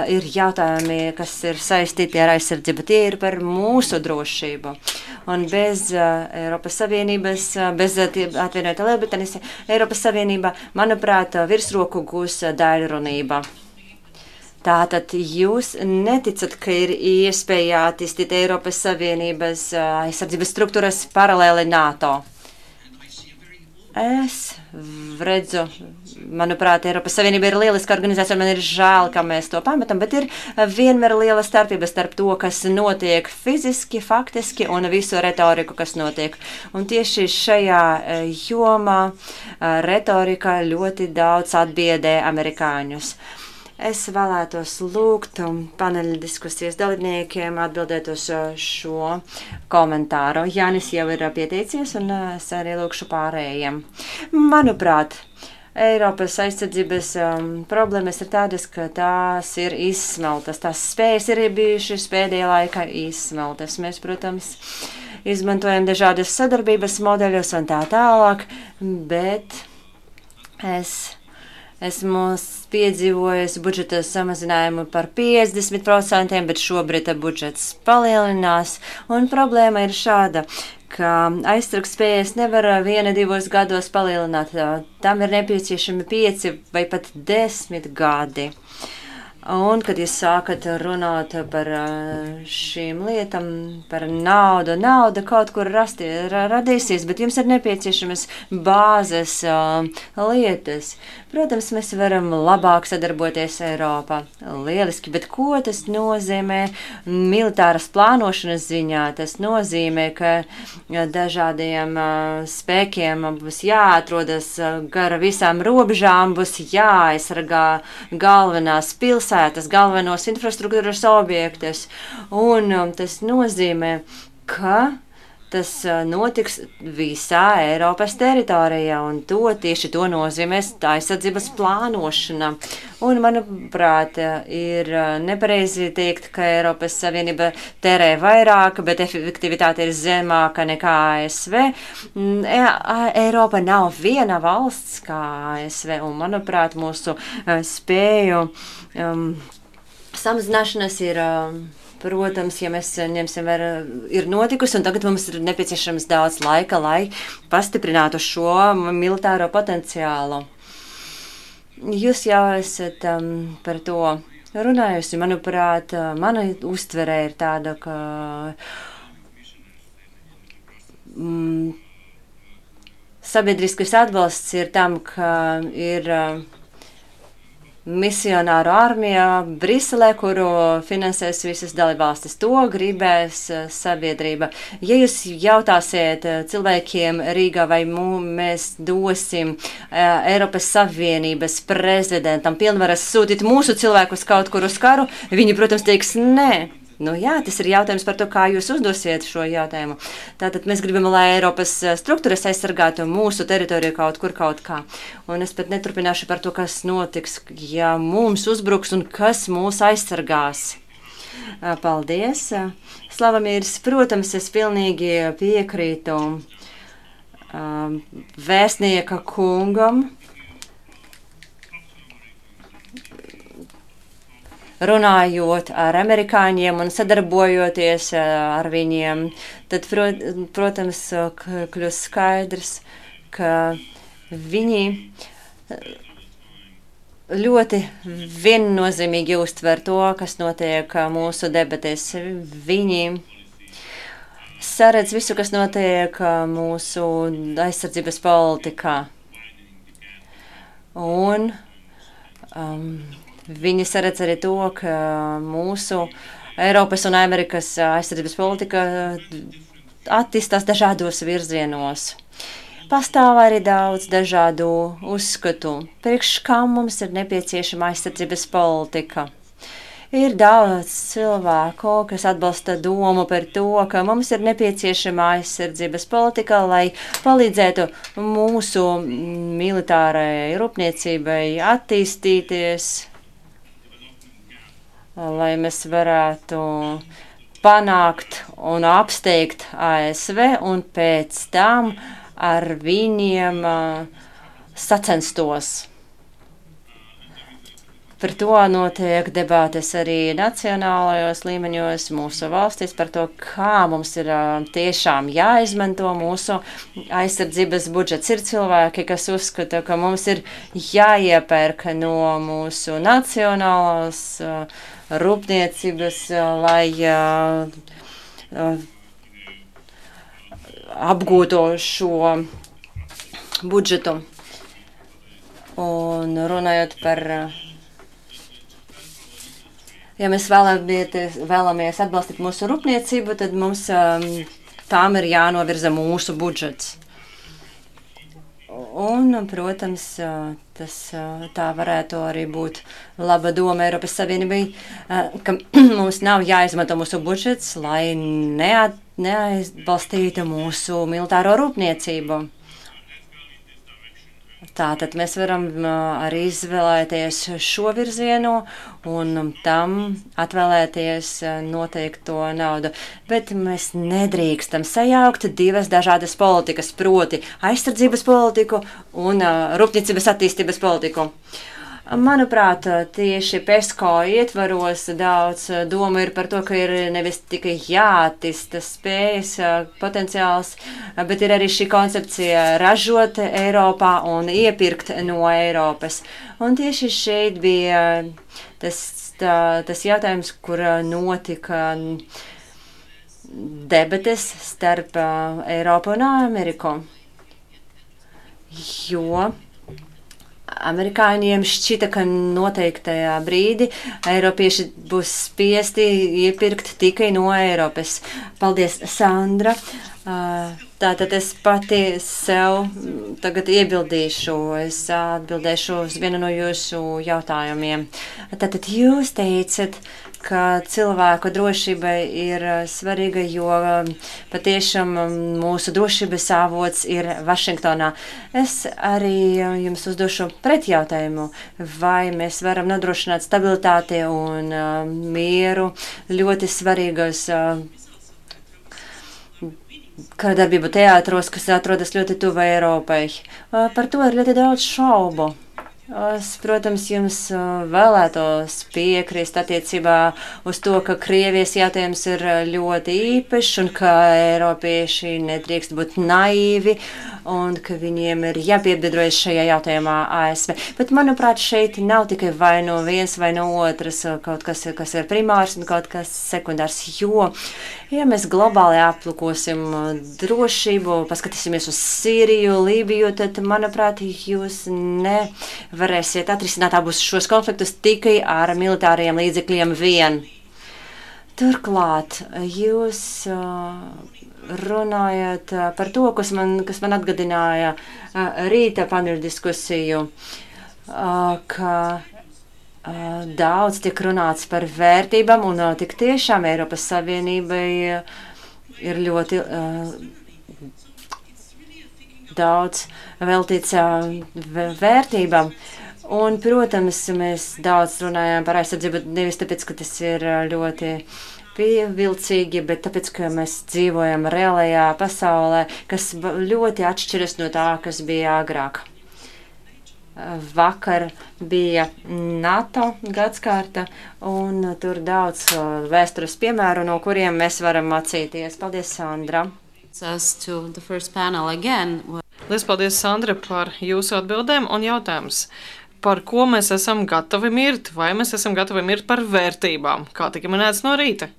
ir jautājumi, kas ir saistīti ar aizsardzību, tie ir par mūsu drošību. Un bez Eiropas Savienības, bez atvienotā Lielbritānijas, Eiropas Savienība, manuprāt, virsroku gūs daļrunība. Tātad jūs neticat, ka ir iespēja attīstīt Eiropas Savienības aizsardzības struktūras paralēli NATO? Es redzu, manuprāt, Eiropas Savienība ir lieliska organizācija, un man ir žēl, ka mēs to pametam, bet ir vienmēr liela starpība starp to, kas notiek fiziski, faktiski, un visu retoriku, kas notiek. Un tieši šajā jomā retorika ļoti daudz atbiedē amerikāņus. Es vēlētos lūgt paneļa diskusijas dalībniekiem atbildēt uz šo komentāru. Jānis jau ir pieteicies, un es arī lūkšu pārējiem. Manuprāt, Eiropas aizsardzības problēmas ir tādas, ka tās ir izsmeltas. Tās spējas ir bijušas pēdējā laikā izsmeltas. Mēs, protams, izmantojam dažādas sadarbības modeļus un tā tālāk, bet esmu piedzīvojis budžeta samazinājumu par 50%, bet šobrīd budžets palielinās. Un problēma ir šāda, ka aizsargspējas nevar 1-2 gados palielināt. Tam ir nepieciešami 5 vai pat 10 gadi. Un, kad jūs sākat runāt par šīm lietām, par nauda kaut kur radīsies, bet jums ir nepieciešamas bāzes lietas. Protams, mēs varam labāk sadarboties Eiropā. Lieliski, bet ko tas nozīmē militāras plānošanas ziņā? Tas nozīmē, ka dažādiem spēkiem būs jāatrodas gara visām robežām, būs jāaizsargā galvenās pilsētas, galvenos infrastruktūras objektus. Un tas nozīmē, ka tas notiks visā Eiropas teritorijā, un tieši to nozīmēs aizsardzības plānošana. Un, manuprāt, ir nepareizi teikt, ka Eiropas Savienība tērē vairāk, bet efektivitāte ir zemāka nekā ASV. Eiropa nav viena valsts kā ASV, un, manuprāt, mūsu spēju samazināšanas ir... Protams, ja mēs ņemsim vērā, ir notikusi, un tagad mums ir nepieciešams daudz laika, lai pastiprinātu šo militāro potenciālu. Jūs jau esat par to runājusi. Manuprāt, mana uztverē ir tāda, ka sabiedriskais atbalsts ir tam, ka ir misionāru armija Briselē, kuru finansēs visas dalībvalstis. To gribēs sabiedrība. Ja jūs jautāsiet cilvēkiem Rīgā, vai mēs dosim Eiropas Savienības prezidentam pilnvaras sūtīt mūsu cilvēkus kaut kur uz karu, viņi, protams, teiks nē. Nu jā, tas ir jautājums par to, kā jūs uzdosiet šo jautājumu. Tātad mēs gribam, lai Eiropas struktūras aizsargātu mūsu teritoriju kaut kur, kaut kā. Un es pat neturpināšu par to, kas notiks, ja mums uzbruks un kas mūs aizsargās. Paldies. Slavamīrs, protams, es pilnīgi piekrītu vēstnieka kungam. Runājot ar amerikāņiem un sadarbojoties ar viņiem, tad, protams, kļūst skaidrs, ka viņi ļoti viennozīmīgi uztver to, kas notiek mūsu debatēs. Viņi saredz visu, kas notiek mūsu aizsardzības politikā. Un viņi saredz arī to, ka mūsu Eiropas un Amerikas aizsardzības politika attīstās dažādos virzienos. Pastāv arī daudz dažādu uzskatu, priekš kam mums ir nepieciešama aizsardzības politika. Ir daudz cilvēku, kas atbalsta domu par to, ka mums ir nepieciešama aizsardzības politika, lai palīdzētu mūsu militārajai rūpniecībai attīstīties, lai mēs varētu panākt un apsteigt ASV un pēc tam ar viņiem sacenstos. Par to notiek debātes arī nacionālajos līmeņos mūsu valstīs par to, kā mums ir tiešām jāizmanto mūsu aizsardzības budžets. Ir cilvēki, kas uzskata, ka mums ir jāiepērk no mūsu nacionālās rūpniecības, lai apgūto šo budžetu. Un runājot par, ja mēs vēlamies atbalstīt mūsu rūpniecību, tad mums tām ir jānovirza mūsu budžets. Un, protams, tā varētu arī būt laba doma Eiropas Savienībai, ka mums nav jāizmanto mūsu budžets, lai neatbalstītu mūsu militāro rūpniecību. Tātad mēs varam arī izvēlēties šo virzienu un tam atvēlēties noteikto naudu. Bet mēs nedrīkstam sajaukt divas dažādas politikas, proti aizsardzības politiku un rūpniecības attīstības politiku. Manuprāt, tieši PESCO ietvaros daudz doma ir par to, ka ir nevis tikai jāattīsta spējas potenciāls, bet ir arī šī koncepcija ražot Eiropā un iepirkt no Eiropas. Un tieši šeit bija tas jautājums, kur notika debates starp Eiropu un Ameriku, jo amerikāņiem šķita, ka noteiktajā brīdī Eiropieši būs spiesti iepirkt tikai no Eiropas. Paldies, Sandra. Tātad es pati sev tagad iebildīšu, es atbildēšu uz vienu no jūsu jautājumiem. Tātad jūs teicat, ka cilvēku drošība ir svarīga, jo patiešām mūsu drošības avots ir Vašingtonā. Es arī jums uzdošu pretjautājumu, vai mēs varam nodrošināt stabilitāti un mieru ļoti svarīgos karadarbību teātros, kas atrodas ļoti tuvu Eiropai. Par to ir ļoti daudz šaubu. Es, protams, jums vēlētos piekrist attiecībā uz to, ka Krievijas jautājums ir ļoti īpašs un ka Eiropieši nedrīkst būt naivi un ka viņiem ir jāpiebiedrojas šajā jautājumā ASV. Bet, manuprāt, šeit nav tikai vai no viens vai no otras kaut kas ir primārs un kaut kas sekundārs, jo, ja mēs globāli aplūkosim drošību, paskatīsimies uz Sīriju, Lībiju, tad, manuprāt, jūs varēsiet atrisināt abus šos konfliktus tikai ar militāriem līdzekļiem vien. Turklāt, jūs runājat par to, kas man atgādināja rīta paneļa diskusiju, ka daudz tiek runāts par vērtībām un tik tiešām Eiropas Savienībai ir ļoti daudz veltīts vērtībām. Un, protams, mēs daudz runājām par aizsardzību, nevis tāpēc, ka tas ir ļoti pievilcīgi, bet tāpēc, ka mēs dzīvojam reālajā pasaulē, kas ļoti atšķiras no tā, kas bija agrāk. Vakar bija NATO gadskārta, un tur daudz vēstures piemēru, no kuriem mēs varam mācīties. Paldies, Sandra! Liels paldies, Sandra, par jūsu atbildēm un jautājumus. par ko mēs esam gatavi mirt, vai mēs esam gatavi mirt par vērtībām, kā tika minēts no rīta.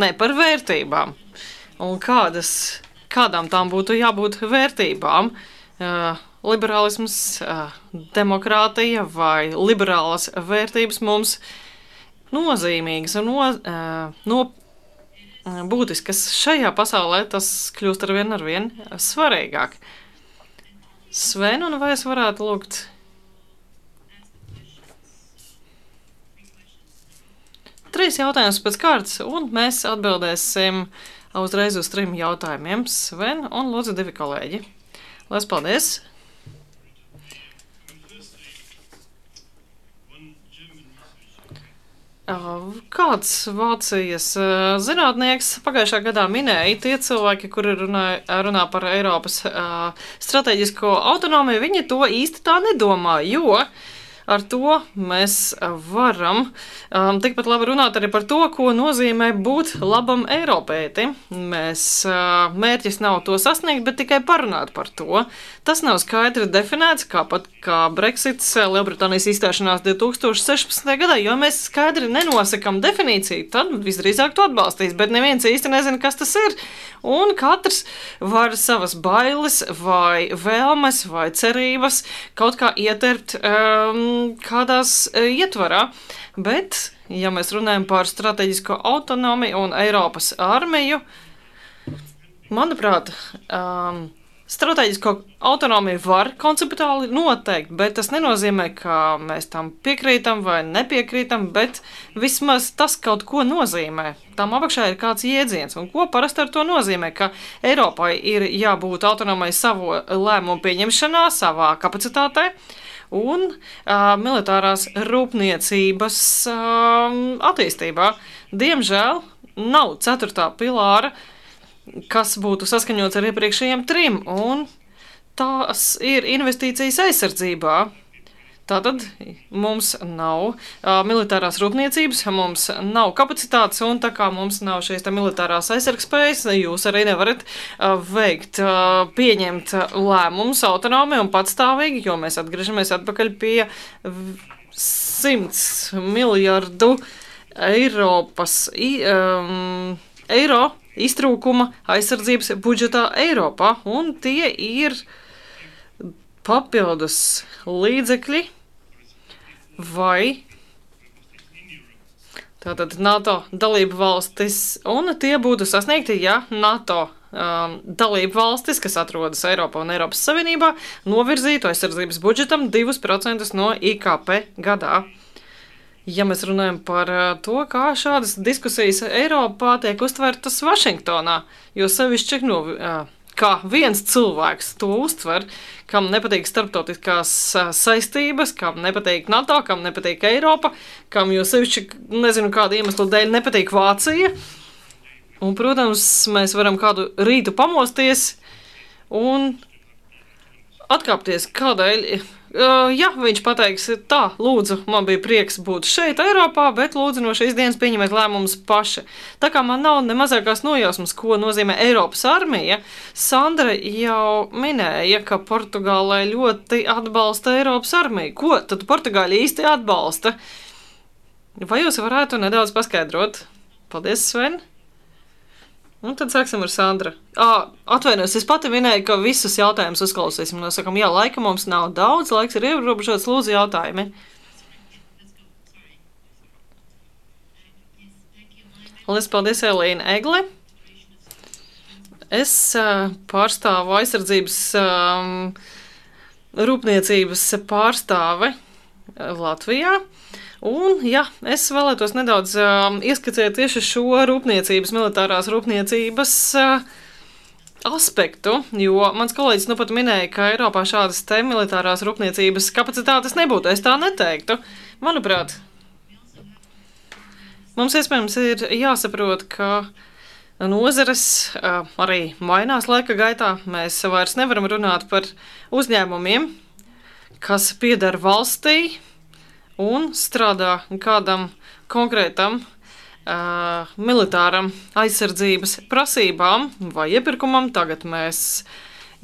Nē, par vērtībām. Un kādām tām būtu jābūt vērtībām? Liberālisms, demokrātija vai liberālas vērtības mums nozīmīgas un būtiskas šajā pasaulē, tas kļūst arvien svarīgāk. Sven, un vai es varētu lūgt? Trīs jautājumus pēc kārtas, un mēs atbildēsim uzreiz uz 3 jautājumiem. Sven un lūdzu 2 kolēģi. Lielas paldies! Kāds Vācijas zinātnieks pagājušā gadā minēja, tie cilvēki, kuri runā par Eiropas strateģisko autonomiju, viņi to īsti tā nedomā, jo ar to mēs varam tikpat labi runāt arī par to, ko nozīmē būt labam Eiropētim. Mērķis nav to sasniegt, bet tikai parunāt par to. Tas nav skaidri definēts, kā Brexits, Lielbritānijas izstāšanās 2016. gadā, jo mēs skaidri nenosakam definīciju, tad visdrīzāk to atbalstīs, bet neviens īsti nezina, kas tas ir. Un katrs var savas bailes vai vēlmes vai cerības kaut kā ieterpt kādās ietvarā. Bet, ja mēs runājam par strateģisko autonomiju un Eiropas armiju, manuprāt, strateģisko autonomiju var konceptuāli noteikt, bet tas nenozīmē, ka mēs tam piekrītam vai nepiekrītam, bet vismaz tas kaut ko nozīmē. Tam apakšā ir kāds jēdziens, un ko parasti ar to nozīmē, ka Eiropai ir jābūt autonomai savu lēmumu pieņemšanā, savā kapacitātē, un militārās rūpniecības attīstībā. Diemžēl nav 4. pilāra, kas būtu saskaņots ar iepriekšējiem 3, un tās ir investīcijas aizsardzībā. Tātad mums nav militārās rūpniecības, mums nav kapacitātes, un tā kā mums nav šīs militārās aizsargspējas, jūs arī nevarat pieņemt lēmumus autonomi un patstāvīgi, jo mēs atgriežamies atpakaļ pie 100 miljardu eiro iztrūkuma aizsardzības budžetā Eiropā, un tie ir papildus līdzekļi vai tātad NATO dalību valstis, un tie būtu sasniegti, ja NATO dalību valstis, kas atrodas Eiropā un Eiropas Savienībā, novirzītu aizsardzības budžetam 2% no IKP gadā. Ja mēs runājam par to, kā šādas diskusijas Eiropā tiek uztvertas Vašingtonā, jo sevišķi kā viens cilvēks to uztver, kam nepatīk starptautiskās saistības, kam nepatīk NATO, kam nepatīk Eiropa, kam jo sevišķi, nezinu kādu iemeslu dēļ, nepatīk Vācija. Un, protams, mēs varam kādu rītu pamosties un atkāpties kādēļ. Ja viņš pateiks tā, lūdzu, man bija prieks būt šeit Eiropā, bet lūdzu no šīs dienas pieņemiet lēmumus paši. Tā kā man nav ne mazākās nojausmas, ko nozīmē Eiropas armija, Sandra jau minēja, ka Portugālē ļoti atbalsta Eiropas armiju. Ko tad Portugāļi īsti atbalsta? Vai jūs varētu nedaudz paskaidrot? Paldies, Sven! Un tad sāksim ar Sandra. Atvainojos, es pati minēju, ka visus jautājumus uzklausīsim. Mēs sakam, jā, laika mums nav daudz, laiks ir ierobežots, lūdzu jautājumi. Lielas paldies, Elīna Egle. Es pārstāvu aizsardzības rūpniecības pārstāve Latvijā. Un, ja, es vēlētos nedaudz ieskicēt tieši šo rūpniecības, militārās rūpniecības aspektu, jo mans kolēģis nu pat minēja, ka Eiropā šādas te militārās rūpniecības kapacitātes nebūtu. Es tā neteiktu. Manuprāt, mums iespējams ir jāsaprot, ka nozares arī mainās laika gaitā. Mēs vairs nevaram runāt par uzņēmumiem, kas pieder valstī, un strādā kādam konkrētam militāram aizsardzības prasībām vai iepirkumam. Tagad mēs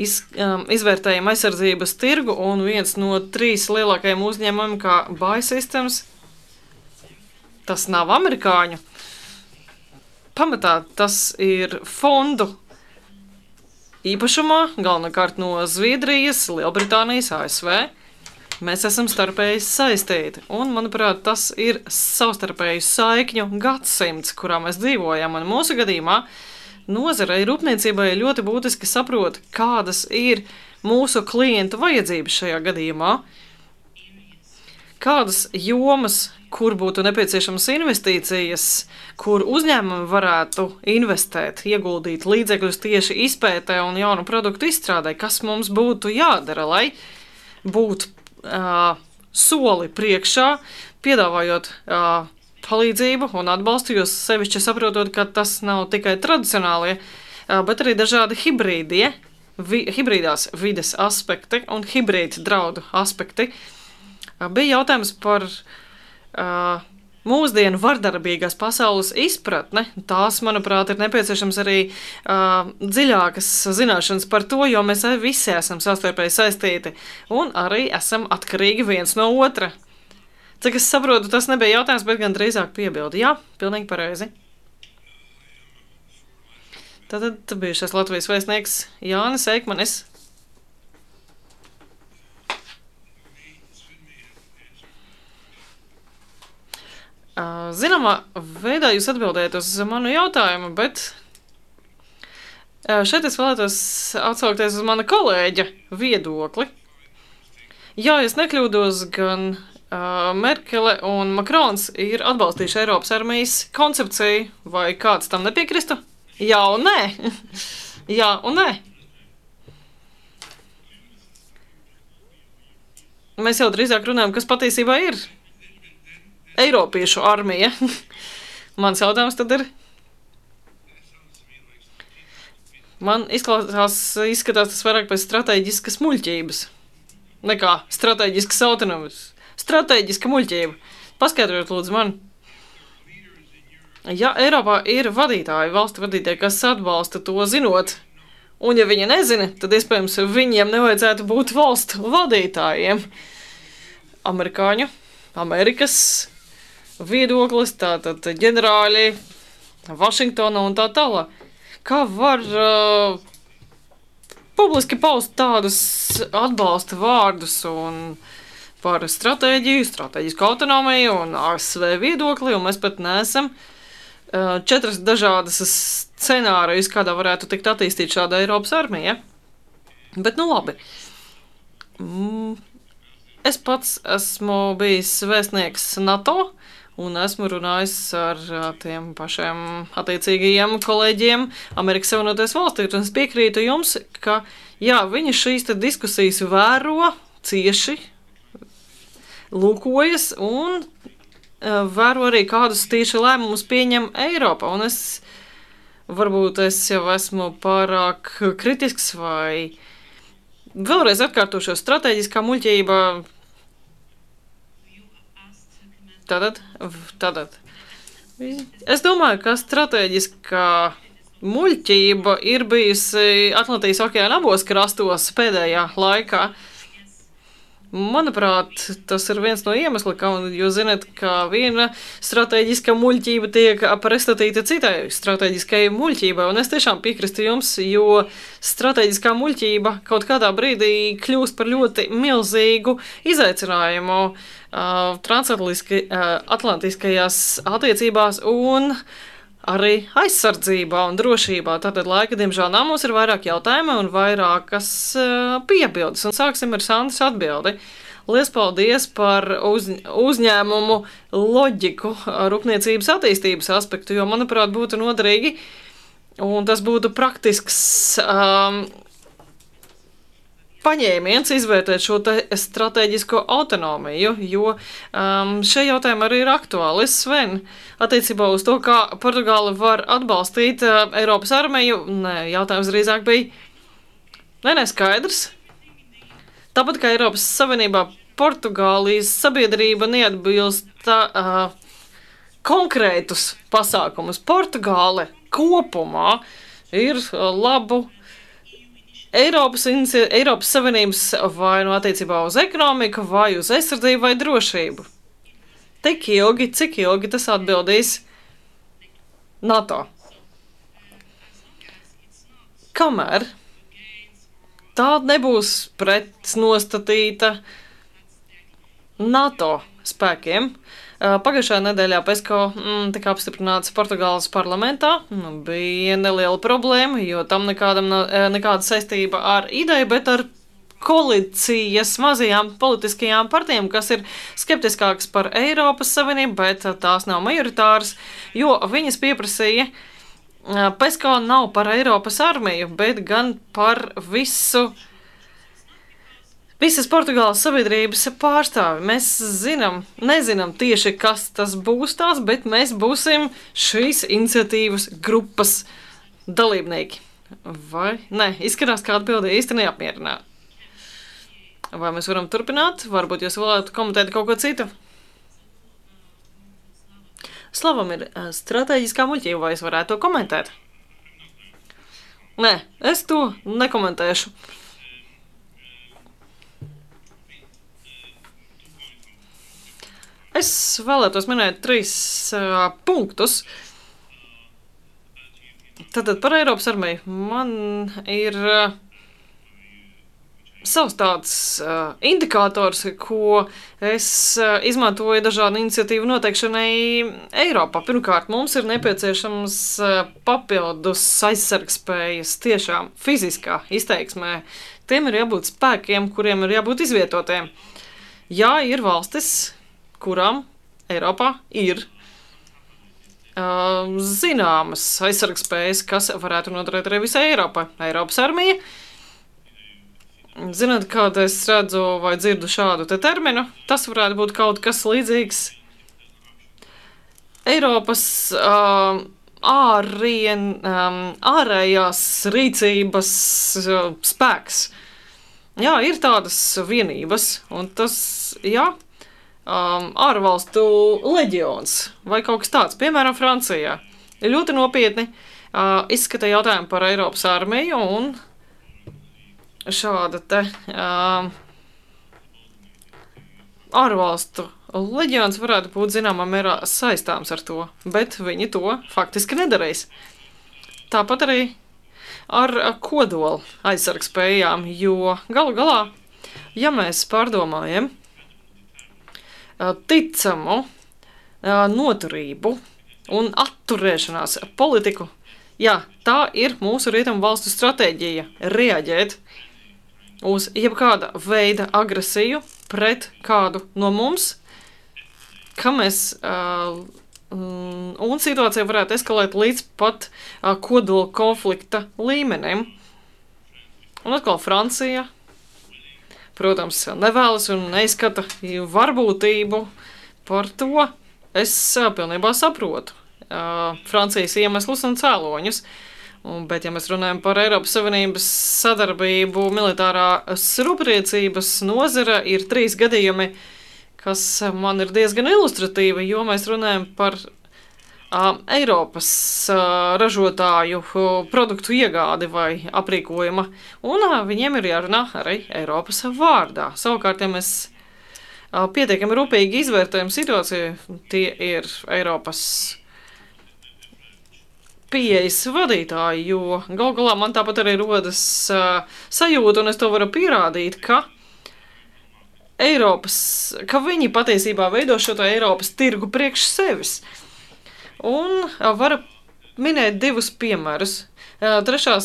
izvērtējam aizsardzības tirgu, un viens no 3 lielākajiem uzņēmumiem, kā Buy Systems, tas nav amerikāņu. Pamatā tas ir fondu īpašumā, galvenokārt no Zviedrijas, Lielbritānijas, ASV. Mēs esam starpēji saistīti, un, manuprāt, tas ir savstarpēju saikņu gadsimts, kurā mēs dzīvojam, un mūsu gadījumā nozarei rūpniecībai ļoti būtiski saprot, kādas ir mūsu klientu vajadzības šajā gadījumā, kādas jomas, kur būtu nepieciešamas investīcijas, kur uzņēmumi varētu investēt, ieguldīt līdzekļus tieši izpētē un jaunu produktu izstrādē, kas mums būtu jādara, lai būtu soli priekšā, piedāvājot palīdzību un atbalstu, jo sevišķi saprotot, ka tas nav tikai tradicionālie, bet arī dažādi hibrīdās vides aspekti un hibrīdu draudu aspekti. Bija jautājums par mūsdienu vardarbīgās pasaules izpratne. Tās, manuprāt, ir nepieciešams arī dziļākas zināšanas par to, jo mēs visi esam savstarpēji saistīti un arī esam atkarīgi viens no otra. Cik es saprotu, tas nebija jautājums, bet gan drīzāk piebildi. Jā, pilnīgi pareizi. Tad bijušais Latvijas vēstnieks Jānis Eikmanis. Zināmā veidā jūs atbildējat uz manu jautājumu, bet šeit es vēlētos atsaukties uz mana kolēģa viedokli. Jā, es nekļūdos, gan Merkele un Makrons ir atbalstījuši Eiropas armijas koncepciju, vai kāds tam nepiekristu? Jā un nē. Jā un nē. Mēs jau drīzāk runājam, kas patiesībā ir Eiropiešu armija. Mans jautājums tad ir. Man izskatās tas vairāk pēc strateģiskas muļķības. Nekā strateģiskas autonomijas. Strateģiska muļķība. Paskaidrojiet lūdzu man. Ja Eiropā ir vadītāji, valstu vadītāji, kas atbalsta to zinot, un ja viņi nezina, tad iespējams viņiem nevajadzētu būt valstu vadītājiem. Amerikas viedoklis, tātad ģenerāļi, Vašingtona un tā tālāk. Kā var publiski paust tādus atbalsta vārdus un par stratēģiju, strateģisku autonomiju un ASV viedokli, un mēs pat neesam 4 dažādas scenārijas, kādā varētu tikt attīstīt šāda Eiropas armija. Bet nu labi. Es pats esmu bijis vēstnieks NATO, un esmu runājis ar tiem pašiem attiecīgajiem kolēģiem Amerikas Savienotajās valstīs. Un es piekrītu jums, ka jā, viņi šīs diskusijas vēro cieši, lūkojas un vēro arī kādus tieši lēmumus pieņem Eiropa. Un varbūt es jau esmu pārāk kritisks vai vēlreiz atkārtošo strateģiskā muļķība. Tātad. Es domāju, ka strateģiskā muļķība ir bijusi Atlantijas okeāna abos krastos pēdējā laikā. Manuprāt, tas ir viens no iemesliem, jo zināt, ka viena strateģiska muļķība tiek pretstatīta citai strateģiskai muļķībai. Un es tiešām piekrītu jums, jo strateģiskā muļķība kaut kādā brīdī kļūst par ļoti milzīgu izaicinājumu transatlantiskajās attiecībās un arī aizsardzībā un drošībā. Tātad laika, diemžēl, nav, mums ir vairāk jautājumi un vairākas piebildes. Un sāksim ar Sandras atbildi. Liels paldies par uzņēmumu loģiku, rūpniecības attīstības aspektu, jo, manuprāt, būtu noderīgi un tas būtu praktisks paņēmiens izvērtēt šo strateģisko autonomiju, jo šie jautājumi arī ir aktuāli. Sven, attiecībā uz to, kā Portugāla var atbalstīt Eiropas armiju, jautājums drīzāk bija skaidrs. Tāpat kā Eiropas Savienībā Portugālijas sabiedrība neatbilst konkrētus pasākumus. Portugāle kopumā ir labu Eiropas Savienības vai no attiecībā uz ekonomiku, vai uz aizsardzību vai drošību. Tik ilgi, cik ilgi tas atbildīs NATO. Kamēr tā nebūs pretnostatīta NATO spēkiem. Pagājušajā nedēļā PESCO tika apstiprināts Portugāles parlamentā. Bija neliela problēma, jo tam nekāda saistība ar ideju, bet ar koalīcijas mazajām politiskajām partijām, kas ir skeptiskākas par Eiropas Savienību, bet tās nav majoritāras, jo viņas pieprasīja, PESCO nav par Eiropas armiju, bet gan par visas Portugāles sabiedrības pārstāvi. Mēs nezinām tieši, kas tas būs tās, bet mēs būsim šīs iniciatīvas grupas dalībnieki. Vai? Nē, izskatās, ka atbilde īsti neapmierināta. Vai mēs varam turpināt? Varbūt jūs vēlētu komentēt kaut ko citu? Slavam ir strateģiskā muļķība, vai es varētu to komentēt? Nē, es to nekomentēšu. Es vēlētos minēt 3 punktus. Tātad par Eiropas armiju. Man ir savs tāds indikators, ko es izmantoju dažādu iniciatīvu noteikšanai Eiropā. Pirmkārt, mums ir nepieciešams papildus aizsargspējas tiešām fiziskā izteiksmē. Tiem ir jābūt spēkiem, kuriem ir jābūt izvietotiem. Jā, ir valstis, kurām Eiropā ir zināmas aizsargspējas, kas varētu noderēt arī visai Eiropai. Eiropas armija. Zināt, kāda es redzu vai dzirdu šādu te terminu, tas varētu būt kaut kas līdzīgs Eiropas ārējās rīcības spēks. Jā, ir tādas vienības, un tas, jā, ārvalstu leģions vai kaut kas tāds, piemēram, Francijā. Ir ļoti nopietni izskata jautājumu par Eiropas armiju, un šāda te ārvalstu leģions varētu būt zināmā mērā saistāms ar to, bet viņi to faktiski nedarīs. Tāpat arī ar kodola aizsargspējām, jo galu galā, ja mēs pārdomājam ticamu noturību un atturēšanās politiku, jā, tā ir mūsu rietumu valstu stratēģija reaģēt uz jebkāda veida agresiju pret kādu no mums, ka mēs un situācija varētu eskalēt līdz pat kodola konflikta līmenim. Un atkal Francija, protams, nevēlas un neizskata varbūtību par to. Es pilnībā saprotu Francijas iemeslus un cēloņus. Bet, ja mēs runājam par Eiropas Savienības sadarbību militārās rūpniecības nozara, ir 3 gadījumi, kas man ir diezgan ilustratīvi, jo mēs runājam par Eiropas ražotāju produktu iegādi vai aprīkojuma, un viņiem ir jārunā arī Eiropas vārdā. Savukārt, ja mēs pietiekami rūpīgi izvērtējam situāciju, tie ir Eiropas pieejas vadītāji, jo gal galā man tāpat arī rodas sajūta, un es to varu pierādīt, ka viņi patiesībā veido šo Eiropas tirgu priekš sevis. Un varu minēt 2 piemērus. 3.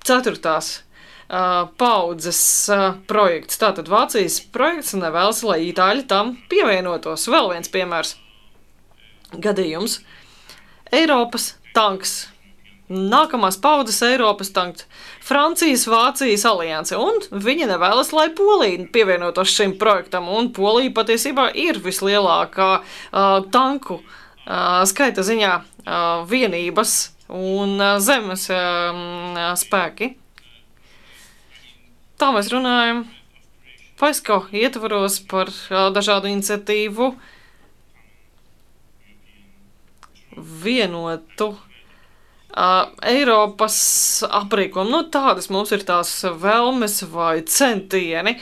4. paudzes projekts. Tātad Vācijas projekts nevēlas, lai itāļi tam pievienotos. Vēl viens piemērs. Gadījums. Eiropas tanks. Nākamās paudzes Eiropas tanks. Francijas, Vācijas alianse. Un viņi nevēlas, lai Polija pievienotos šim projektam. Un Polija patiesībā ir vislielākā tanku skaita ziņā vienības un zemes spēki. Tā mēs runājam PESCO ietvaros par dažādu iniciatīvu vienotu Eiropas aprīkojumu. Tādas mums ir tās vēlmes vai centieni,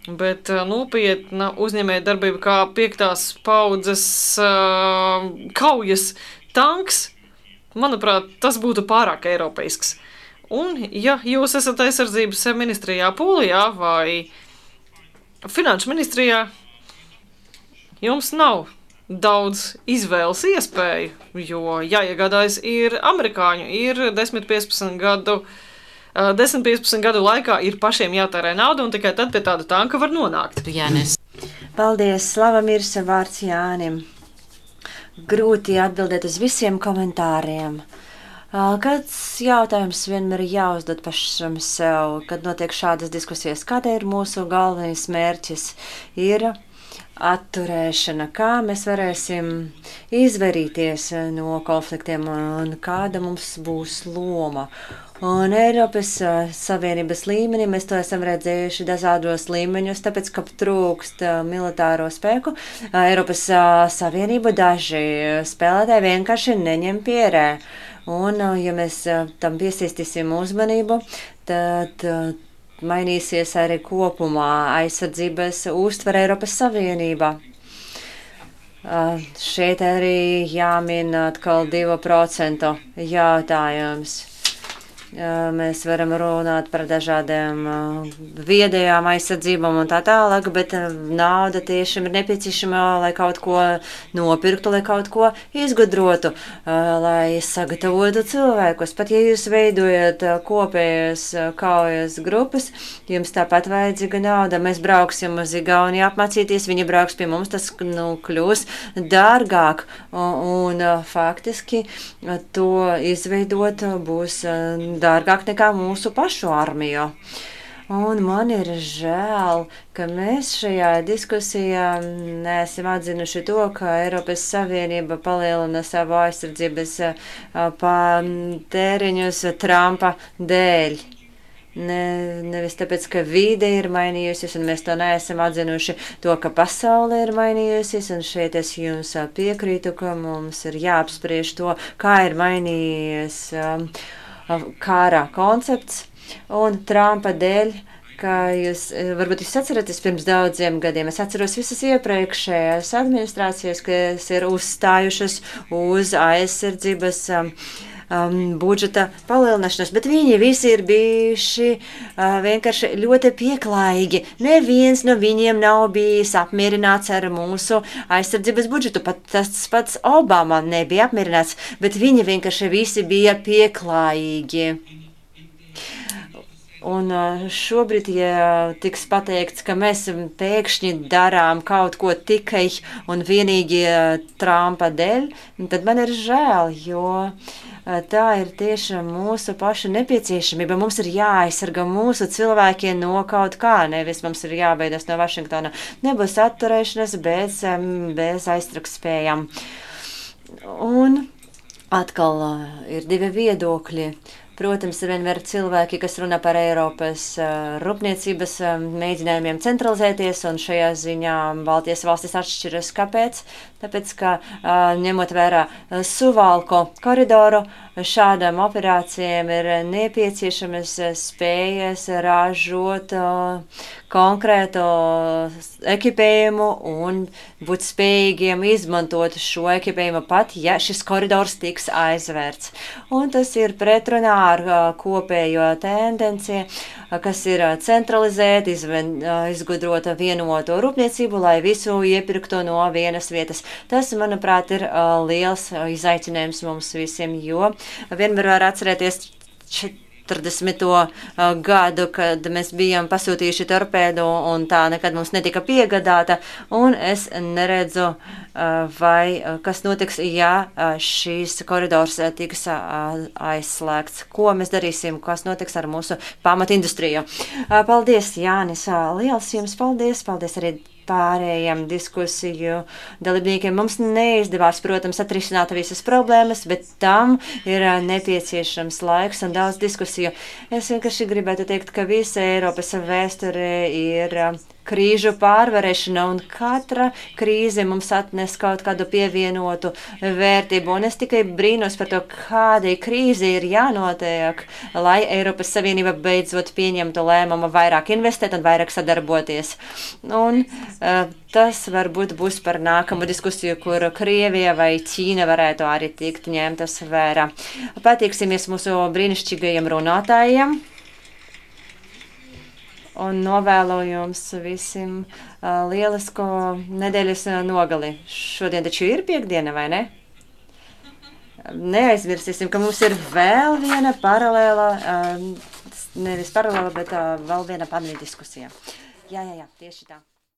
bet nopietna uzņēmēja darbība kā 5. paudzes kaujas tanks, manuprāt, tas būtu pārāk eiropeisks. Un, ja jūs esat aizsardzības ministrijā Polijā vai finanšu ministrijā, jums nav daudz izvēles iespēju, jo jāiegādājas ir amerikāņu, ir 10-15 gadu laikā ir pašiem jātērē nauda, un tikai tad pie tāda tanka var nonākt. Jānis. Paldies, Slavamirs, vārds Jānim. Grūti atbildēt uz visiem komentāriem. Kāds jautājums vienmēr ir jāuzdod pašam sev, kad notiek šādas diskusijas? Kāda ir mūsu galvenais mērķis? Ir atturēšana, kā mēs varēsim izvairīties no konfliktiem un kāda mums būs loma. Un Eiropas Savienības līmenī mēs to esam redzējuši dažādos līmeņos, tāpēc, ka trūkst militāro spēku. Eiropas Savienību daži spēlētāji vienkārši neņem pierē. Un, ja mēs tam piesīstīsim uzmanību, tad mainīsies arī kopumā aizsardzības uztvere Eiropas Savienībā. Šeit arī jāmin atkal 2% jautājums. Mēs varam runāt par dažādiem viedajām aizsardzībām un tā tālāk, bet nauda tiešām ir nepieciešama, lai kaut ko nopirktu, lai kaut ko izgudrotu, lai sagatavotu cilvēkus. Pat ja jūs veidojat kopējas kaujas grupas, jums tāpat vajadzīga nauda. Mēs brauksim uz Igauniju apmācīties, viņi brauks pie mums, tas kļūs dārgāk. Un faktiski to izveidot būs dārgāk nekā mūsu pašu armiju. Un man ir žēl, ka mēs šajā diskusijā neesam atzinuši to, ka Eiropas Savienība palielina savu aizsardzības tēriņus Trumpa dēļ. Nevis tāpēc, ka vide ir mainījusies, un mēs to neesam atzinuši to, ka pasaule ir mainījusies, un šeit es jums piekrītu, ka mums ir jāapspriež to, kā ir mainījies kara koncepts, un Trumpa dēļ, ka varbūt jūs atceraties pirms daudziem gadiem, es atceros visas iepriekšējās administrācijas, kas ir uzstājušas uz aizsardzības budžeta palielināšanos, bet viņi visi ir bijuši vienkārši ļoti pieklājīgi. Neviens no viņiem nav bijis apmierināts ar mūsu aizsardzības budžetu. Pat tas pats Obama nebija apmierināts, bet viņi vienkārši visi bija pieklājīgi. Un šobrīd, ja tiks pateikts, ka mēs pēkšņi darām kaut ko tikai un vienīgi Trumpa dēļ, tad man ir žēl, jo tā ir tiešām mūsu paša nepieciešamība. Mums ir jāaizsarga mūsu cilvēkiem no kaut kā, nevis mums ir jābeidas no Vašingtona. Nebūs atturēšanas bez aiztrukspējām. Un atkal ir divi viedokļi. Protams, ir vienmēr cilvēki, kas runā par Eiropas rūpniecības mēģinājumiem centralizēties, un šajā ziņā Baltijas valstis atšķiras. Kāpēc? Tāpēc, ka ņemot vērā Suvalku koridoru, šādām operācijām ir nepieciešamas spējas ražot konkrētu ekipējumu un būt spējīgiem izmantot šo ekipējumu pat, ja šis koridors tiks aizvērts. Un tas ir pretrunā ar kopējo tendenci, kas ir centralizēt, izgudrot vienoto rūpniecību, lai visu iepirktu no vienas vietas. Tas, manuprāt, ir liels izaicinājums mums visiem, jo vienmēr var atcerēties 40. gadu, kad mēs bijām pasūtījuši torpēdu un tā nekad mums netika piegādāta, un es neredzu, kas notiks, ja šīs koridors tiks aizslēgts. Ko mēs darīsim, kas notiks ar mūsu pamatindustriju. Paldies, Jānis, liels jums paldies, paldies arī pārējiem diskusiju dalībniekiem. Mums neizdevās, protams, atrisināt visas problēmas, bet tam ir nepieciešams laiks un daudz diskusiju. Es vienkārši gribētu teikt, ka visa Eiropas vēsture ir krīžu pārvarēšana, un katra krīze mums atnes kaut kādu pievienotu vērtību. Un es tikai brīnos par to, kādai krīze ir jānotiek, lai Eiropas Savienība beidzot pieņemtu lēmumu vairāk investēt un vairāk sadarboties. Un tas varbūt būs par nākamu diskusiju, kur Krievija vai Ķīna varētu arī tikt ņemtas vērā. Patīksimies mūsu brīnišķīgajiem runātājiem un novēlu jums visiem lielisko nedēļas nogali. Šodien taču ir piekdiena, vai ne? Neaizmirsīsim, ka mums ir vēl viena paralēla, nevis paralēla, bet vēl viena paneļa diskusija. Jā, tieši tā.